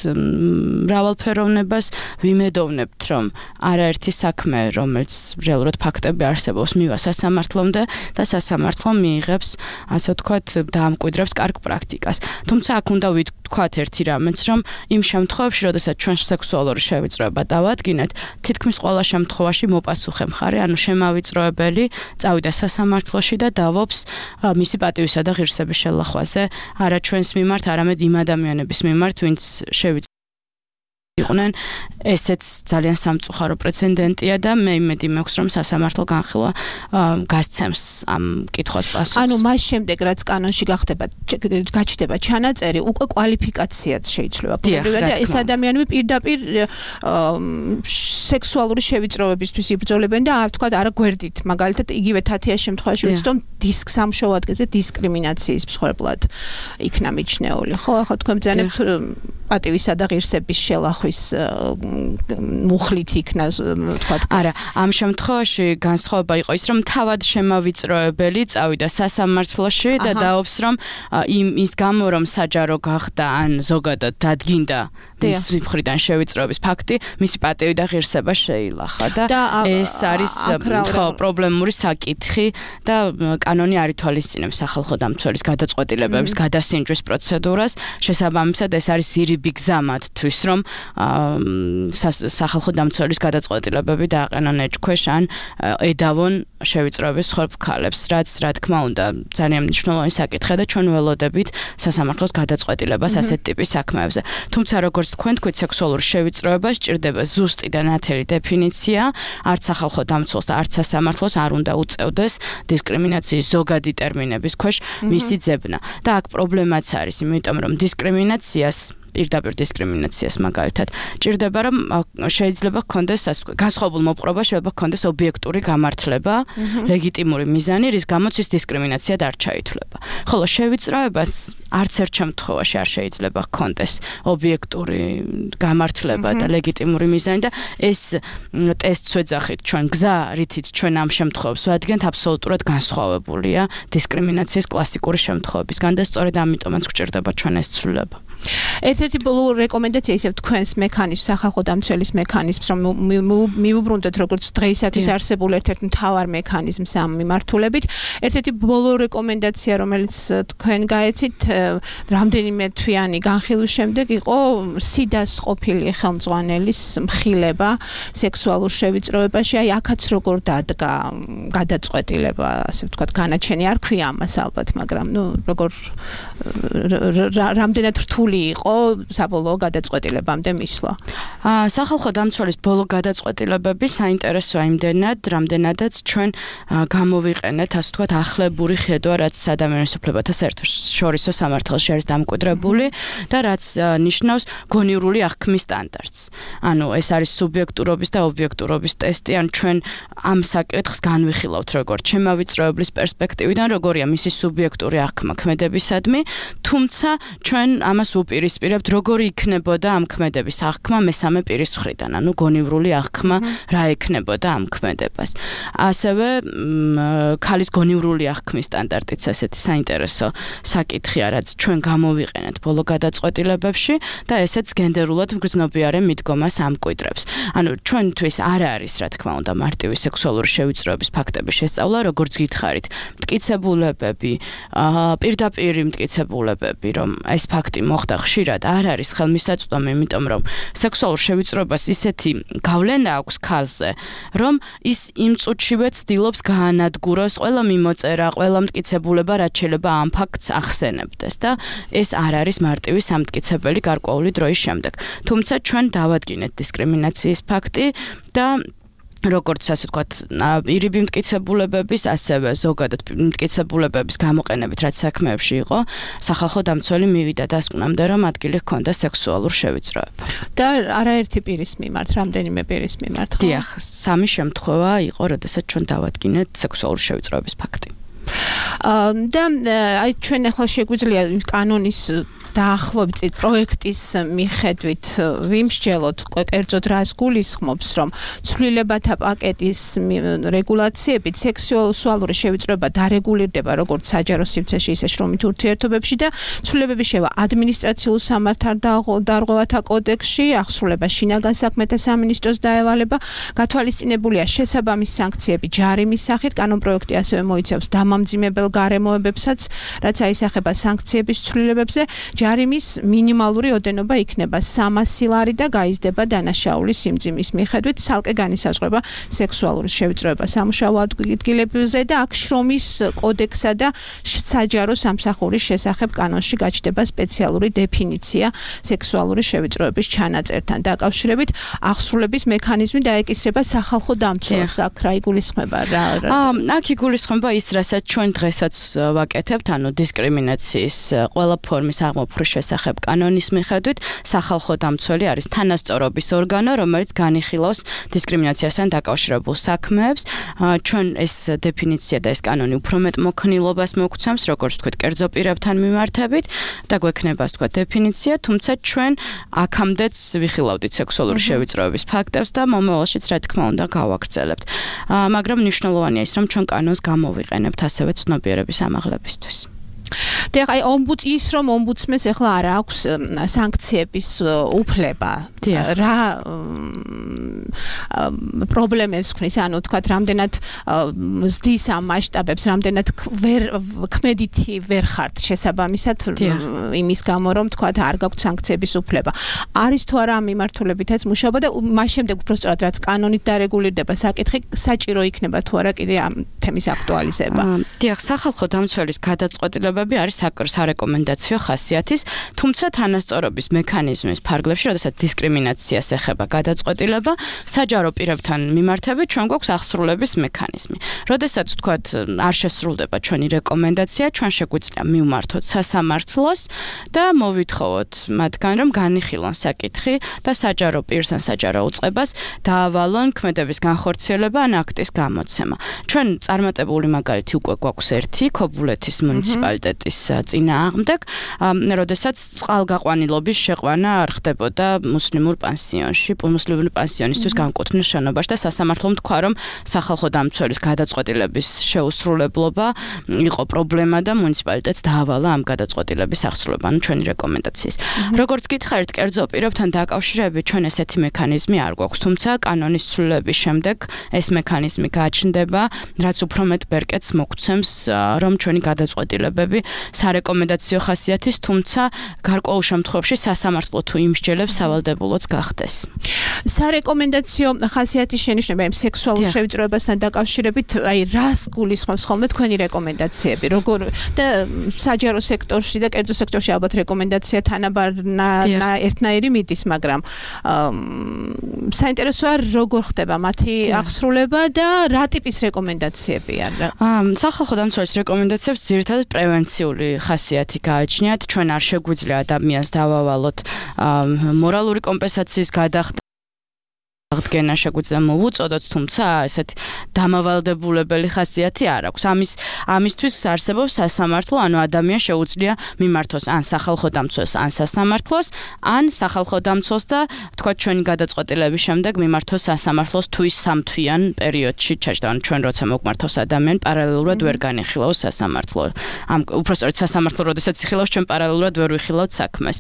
მრავალფეროვნებას. ვიმედოვნებთ, რომ არაერთი საქმე, რომელიც რეალურად ფაქტები არსებობს, მივა სასამართლომდე და სასამართლო მიიღებს, ასე ვთქვათ, დაამკვიდრებს კარგ პრაქტიკას. თუმცა აქ უნდა ვთქვათ ერთი რამეც, რომ იმ შემთხვევებში, როდესაც ჩვენ სექსუალური შევიწროება დავადგინეთ, თითქმის ყველა შემთხვევაში მოპასუხე მხარე, ანუ შემავიწროებელი წავიდა სასამართლოში და დავობს მისი პატივისა და ღირსების შელახვაზე, არა ჩვენს მიმართ, არამედ იმ ადამიანების მიმართ, ვინც შევიწროებდნენ. იყვნენ, ესეც ძალიან სამწუხარო პრეცედენტია და მე იმედი მაქვს, რომ სასამართლო განხილვა გასცემს ამ კითხვას პასუხს. ანუ მას შემდეგ, რაც კანონში გახდება, გაჩნდება ჩანაწერი, უკვე კვალიფიკაციაც შეიძლება. და ეს ადამიანები პირდაპირ სექსუალური შევიწროებისთვის იბრძოლებენ და ვთქვათ, არა გვერდით, მაგალითად, იგივე თათიას შემთხვევაში ვცდომ დისკ სამშობლო ადგილზე დისკრიმინაციის მსხვერპლად იქნა მიჩნეული. ხო, ახლა თქვენ ბრძანებთ პატივისა და ღირსების შელახვის მუხლით იქნა, ვთქვათ. არა, ამ შემთხვევაში განსხვავება იყო ის, რომ თავად შემავიწროებელი წავიდა სასამართლოში და დაობს, რომ იმ ის გამო, რომ საჯარო გახდა ან ზოგადად დადგინდა მის მხრიდან შევიწროების ფაქტი, მისი პატივი და ღირსება შეილახა და ეს არის ხო პრობლემური საკითხი და კანონი არ ითვალისწინებს სახალხო დამცველის გადაწყვეტილებების გადასინჯვის პროცედურას. შესაბამისად, ეს არის ირიბი გზა მათთვის, რომ სახალხო დამცველის გადაწყვეტილებები დააყენონ ეჭქვეშ ან ედავონ შევიწროების მსხვერპლ ქალებს, რაც რა თქმა უნდა ძალიან მნიშვნელოვანი საკითხია და ჩვენ ველოდებით სასამართლოს გადაწყვეტილებას ასეთ ტიპის საქმეებზე. თუმცა როგორც თქვენ თქვით, სექსუალური შევიწროება სჭირდება ზუსტი და ნათელი დეფინიცია, არც სახალხო დამცველს და არც სასამართლოს არ უნდა უწევდეს დისკრიმინაციის ზოგადი ტერმინების ქვეშ მისი ძებნა. და აქ პრობლემაც არის, იმიტომ რომ დისკრიმინაციას პირდაპირ დისკრიმინაციას მაგალითად ჭირდება, რომ შეიძლება გქონდეს განსხვავებულ მოპყრობა, შეიძლება გქონდეს ობიექტური გამართლება, ლეგიტიმური მიზანი, რის გამოც ის დისკრიმინაციად არ ჩაითვლება. ხოლო შევიწროებას არც ერთ შემთხვევაში არ შეიძლება გქონდეს ობიექტური გამართლება და ლეგიტიმური მიზანი და ეს ტესტს ვეძახით ჩვენ გზა, რითიც ჩვენ ამ შემთხვევებს ვადგენთ, აბსოლუტურად განსხვავებულია დისკრიმინაციის კლასიკური შემთხვევებისგან და სწორედ ამიტომაც გვჭირდება ჩვენ ეს ცვლილება. ერთ-ერთი ბოლო რეკომენდაცია ისევ თქვენს მექანიზმს, სახალხო დამცველის მექანიზმს, რომ მივუბრუნდეთ როგორც დღეისათვის არსებულ ერთ-ერთ მთავარ მექანიზმს ამ მიმართულებით. ერთ-ერთი ბოლო რეკომენდაცია, რომელიც თქვენ გაეცით, რამდენიმე თვიანი განხილვის შემდეგ იყო სიდას ყოფილი ხელმძღვანელის მხილება სექსუალურ შევიწროებაში. აი, აქაც როგორ დადგა გადაწყვეტილება, ასე ვთქვათ, განაჩენი არ ქვია ამას ალბათ, მაგრამ ნუ როგორ რამდენად რთული იყო საბოლოო გადაწყვეტილებამდე მისვლა. სახალხო დამცველის ბოლო გადაწყვეტილებები საინტერესოა იმდენად, რამდენადაც ჩვენ გამოვიყენეთ, ასე ვთქვათ, ახლებური ხედვა, რაც ადამიანის უფლებათა საერთაშორისო სამართალში არის დამკვიდრებული და რაც ნიშნავს გონივრული აღქმის სტანდარტს. ანუ ეს არის სუბიექტურობის და ობიექტურობის ტესტი, ან ჩვენ ამ საკითხს განვიხილავთ როგორც შემავიწროებლის პერსპექტივიდან, როგორია მისი სუბიექტური აღქმა ქმედებისადმი, თუმცა ჩვენ ამას უპირისპირებთ, როგორი იქნებოდა ამ ქმედების აღქმა მესამე პირის მხრიდან, ანუ გონივრული აღქმა რა ექნებოდა ამ ქმედებას. ასევე ქალის გონივრული აღქმის სტანდარტიც ესეთი საინტერესო საკითხია, რაც ჩვენ გამოვიყენეთ ბოლო გადაწყვეტილებებში და ესეც გენდერულად მგრძნობიარე მიდგომას ამკვიდრებს. ანუ ჩვენთვის არ არის, რა თქმა უნდა, მარტივი სექსუალური შევიწროების ფაქტების შესწავლა, როგორც გითხარით, მტკიცებულებები, პირდაპირი მტკიცებულებები, რომ ეს ფაქტი მოხდა ხშირად, არ არის ხელმისაწვდომი, იმიტომ რომ სექსუალურ შევიწროებას ისეთი გავლენა აქვს ქალზე, რომ ის იმ წუთშივე ცდილობს გაანადგუროს ყველა მიმოწერა, ყველა მტკიცებულება, რაც შეიძლება ამ ფაქტს ახსენებდეს და ეს არ არის მარტივი სამტკიცებელი გარკვეული დროის შემდეგ. თუმცა ჩვენ დავადგინეთ დისკრიმინაციის ფაქტი და როგორც ასე ვთქვათ, ირიბი მტკიცებულებების, ასევე ზოგადად მტკიცებულებების გამოყენებით, რაც საქმეებში იყო, სახალხო დამცველი მივიდა დასკვნამდე, რომ ადგილი ჰქონდა სექსუალურ შევიწროებას. და არაერთი პირის მიმართ, რამდენიმე პირის მიმართ, ხო? დიახ, სამი შემთხვევა იყო, როდესაც ჩვენ დავადგინეთ სექსუალური შევიწროების ფაქტი. და აი ჩვენ ახლა შეგვიძლია კანონის დაახლოებით პროექტის მიხედვით ვიმსჯელოთ კერძოდ რას გულისხმობს, რომ ცვლილებათა პაკეტის რეგულაციებით სექსუალური შევიწროება დარეგულირდება როგორც საჯარო სივრცეში, ისე შრომით ურთიერთობებში და ცვლილებები შევა ადმინისტრაციულ სამართალდარღვევათა კოდექსში, ახსრულება შინაგან საქმეთა სამინისტროს დაევალება, გათვალისწინებულია შესაბამის სანქციები ჯარიმის სახით, კანონპროექტი ასევე მოიცავს დამამძიმებელ გარემოებებსაც, რაც აისახება სანქციების ცვლილებებზე. ჯარიმის მინიმალური ოდენობა იქნება სამასი ლარი და გაიზრდება დანაშაულის სიმძიმის მიხედვით, ცალკე განისაზღვრება სექსუალური შევიწროება სამუშაო ადგილებზე და აქ შრომის კოდექსსა და საჯარო სამსახურის შესახებ კანონში გაჩნდება სპეციალური დეფინიცია სექსუალური შევიწროების ჩანაწერთან დაკავშირებით. ახსრულების მექანიზმი დაეკისრება სახალხო დამცველს, აქ რა იგულისხმება რა? აქ იგულისხმება ის, რასაც ჩვენ დღესაც ვაკეთებთ, ანუ დისკრიმინაციის ყველა ფორმის აღმოფხვრა შესახებ კანონის მიხედვით სახალხო დამცველი არის თანასწორობის ორგანო, რომელიც განიხილავს დისკრიმინაციასთან დაკავშირებულ საქმეებს. ჩვენ ეს დეფინიცია და ეს კანონი უფრო მეტ მოქნილობას მოგცემს, როგორც ვთქვით, კერძო პირებთან მიმართებით და გვექნება, ვთქვათ, დეფინიცია, თუმცა ჩვენ აქამდეც ვიხილავდით სექსუალური შევიწროების ფაქტებს და მომავალშიც, რა თქმა უნდა, გავაგრძელებთ. მაგრამ მნიშვნელოვანია ის, რომ ჩვენ კანონს გამოვიყენებთ ასევე ცნობიერების ამაღლებისთვის. და აი ომბუდს ის რომ ომბუდსმენს ახლა არ აქვს სანქციების უფლება. რა პრობლემებს ქმნის, ანუ თქვათ, რამდენად ზდის ამ მასშტაბებს, რამდენად ვერ ქმედითი ვერ ხართ შესაბამისად იმის გამო, რომ თქვათ, არ გაქვთ სანქციების უფლება. არის თუ არა ამ მიმართულებითაც მუშაობა და მას შემდეგ უბრალოდ რაც კანონით დარეგულირდება საკითხი, საჭირო იქნება თუ არა კიდე ამ თემის აქტუალიზება. დიახ, სახალხო დამცველის გადაწყვეტილებები არის სარეკომენდაციო ხასიათის, თუმცა თანასწორობის მექანიზმის ფარგლებში, როდესაც დისკრიმინაციას ეხება გადაწყვეტილება, საჯარო პირებთან მიმართებით ჩვენ გვაქვს ახსრულების მექანიზმი. როდესაც ვთქვათ, არ შესრულდება ჩვენი რეკომენდაცია, ჩვენ შეგვიძლია მივმართოთ სასამართლოს და მოვითხოვოთ მათგან, რომ განიხილონ საკითხი და საჯარო პირს ან საჯარო უწყებას დაავალონ ქმედების განხორციელება ან აქტის გამოცემა. ჩვენ წარმატებული მაგალითი უკვე გვაქვს ერთი ქობულეთის მუნიციპალიტეტის წინააღმდეგ, როდესაც წყალგაყვანილობის შეყვანა არ ხდებოდა მუსლიმურ პანსიონში, მუსლიმური პანსიონისთვის განკუთვნილ შენობაში და სასამართლომ თქვა, რომ სახალხო დამცველის გადაწყვეტილების შეუსრულებლობა იყო პრობლემა და მუნიციპალიტეტს დაავალა ამ გადაწყვეტილების აღსრულება, ანუ ჩვენი რეკომენდაციის. როგორც გითხარით, კერძო პირებთან დაკავშირებით ჩვენ ესეთი მექანიზმი არ გვაქვს, თუმცა კანონის ცვლილების შემდეგ ეს მექანიზმი გაჩნდება, რაც უფრო მეტ ბერკეტს მოგცემს, რომ ჩვენი გადაწყვეტილებები სარეკომენდაციო ხასიათის, თუმცა გარკვეულ შემთხვევაში სასამართლო თუ იმსჯელებს სავალდებულოც გახდეს. სარეკომენდაციო ხასიათის შენიშვნება იმ სექსუალურ შევიწროებასთან დაკავშირებით, აი რას გულისხმობს ხოლმე თქვენი რეკომენდაციები, როგორ და საჯარო სექტორში და კერძო სექტორში ალბათ რეკომენდაცია თანაბარ ერთნაირი მიდის, მაგრამ საინტერესოა როგორ ხდება მათი აღსრულება და რა ტიპის რეკომენდაციები არა? სახალხო დამცველის რეკომენდაციებს ძირითადად პრევენციული ხასიათი გააჩნიათ. ჩვენ არ შეგვიძლია ადამიანს დავავალოთ მორალური კომპენსაციის გადახდა აღდგენა შეგვიძლია მოვუწოდოთ, თუმცა ესეთი დამავალდებულებელი ხასიათი არ აქვს. ამის ამისთვის არსებობს სასამართლო, ანუ ადამიანს შეუძლია მიმართოს ან სახალხო დამცველს, ან სასამართლოს, ან სახალხო დამცველს და თქვა ჩვენი გადაწყვეტილების შემდეგ მიმართოს სასამართლოს თუ ის სამთვიან პერიოდში ჩაჯდა, ანუ ჩვენ როცა მოგმართავს ადამიანი, პარალელურად ვერ განიხილავს სასამართლო. ამ უпростоრეთ სასამართლო, როდესაც იხილავს, ჩვენ პარალელურად ვერ ვიხილავთ საქმეს.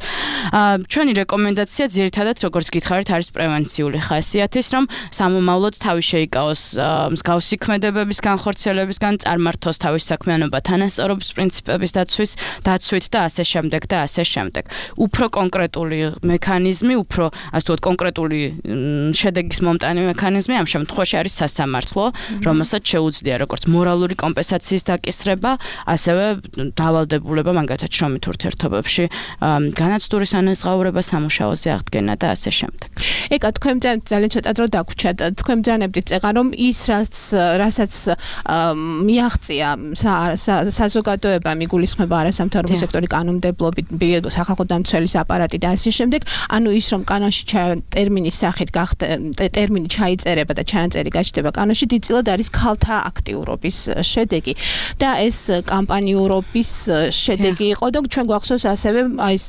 ჩვენი რეკომენდაცია ძირითადად, როგორც გითხარით, არის პრევენციული ხასიათის, რომ სამომავლოდ თავი შეიკავოს მსგავსი ქმედებების განხორციელებისგან, წარმართოს თავის საქმიანობა თანასწორობის პრინციპების დაცვის, დაცვით და ასე შემდეგ და ასე შემდეგ. უფრო კონკრეტული მექანიზმი, უფრო ასე ვთქვათ, კონკრეტული შედეგის მომტანი მექანიზმი ამ შემთხვევაში არის სასამართლო, რომელსაც შეუძლია როგორც მორალური კომპენსაციის დაკისრება, ასევე დავალდებულება მაგათაც შრომით ურთიერთობებში, განაცდურის ანაზღაურება, სამუშაოზე აღდგენა და ასე შემდეგ. ეკა თქვენ ძალიან ცოტა დრო დაგვრჩათ. თქვენ ბრძანებდით წეღან რომ ის რაც რასაც მიაღწია საზოგადოებამ იგულისხმება არასამთავრობო სექტორი კანონმდებლობით, სახალხო დამცველის აპარატი და ასე შემდეგ, ანუ ის რომ კანონში ტერმინის სახით გახდა ტერმინი ჩაიწერება და ჩანაწერი გაჩნდება კანონში, დიდწილად არის ქალთა აქტიურობის შედეგი და ეს კამპანიურობის შედეგი იყო და ჩვენ გვახსოვს ასევე აი ეს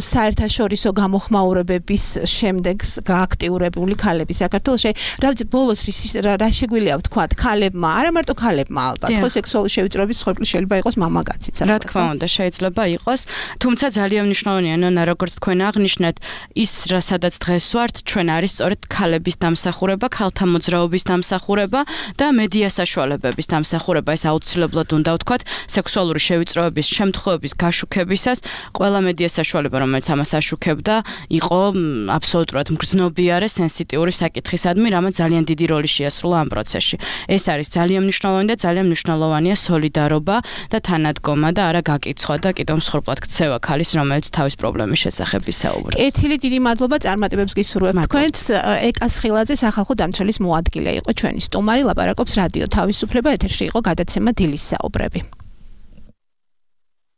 საერთაშორისო გამოხმაურებების შემდეგ გააქტიურებული ქალები საქართველოში. რა ბოლოს რა შეგვიძლია ვთქვათ, ქალებმა, არა მარტო ქალებმა ალბათ, ხო სექსუალური შევიწროების მსხვერპლი შეიძლება იყოს მამაკაციც. რა თქმა უნდა, შეიძლება იყოს, თუმცა ძალიან მნიშვნელოვანია, ნონა, როგორც თქვენ აღნიშნეთ, ის რასადაც დღეს ვართ, ჩვენ არის სწორედ ქალების დამსახურება, ქალთა მოძრაობის დამსახურება და მედია საშუალებების დამსახურება. ეს აუცილებლად უნდა ვთქვათ, სექსუალური შევიწროების შემთხვევების გაშუქებისას ყველა მედია საშუალება, რომელიც ამას აშუქებდა, იყო აბსოლუტურად მგრძნობიარე, სენსიტიური საკითხისადმი, რამაც ძალიან დიდი როლი შეასრულა ამ პროცესში. ეს არის ძალიან მნიშვნელოვანი და ძალიან მნიშვნელოვანია სოლიდარობა და თანადგომა და არა გაკიცხვა და კიდევ მსხვერპლად ქცევა ქალის, რომელიც თავის პრობლემის შესახებ ისაუბრებს. კეთილი, დიდი მადლობა, წარმატებებს გისურვებთ თქვენს. ეკა სხილაძე სახალხო დამცველის მოადგილე იყო ჩვენი სტუმარი, ლაპარაკობს რადიო თავისუფლება, ეთერში იყო გადაცემა დილის საუბრები.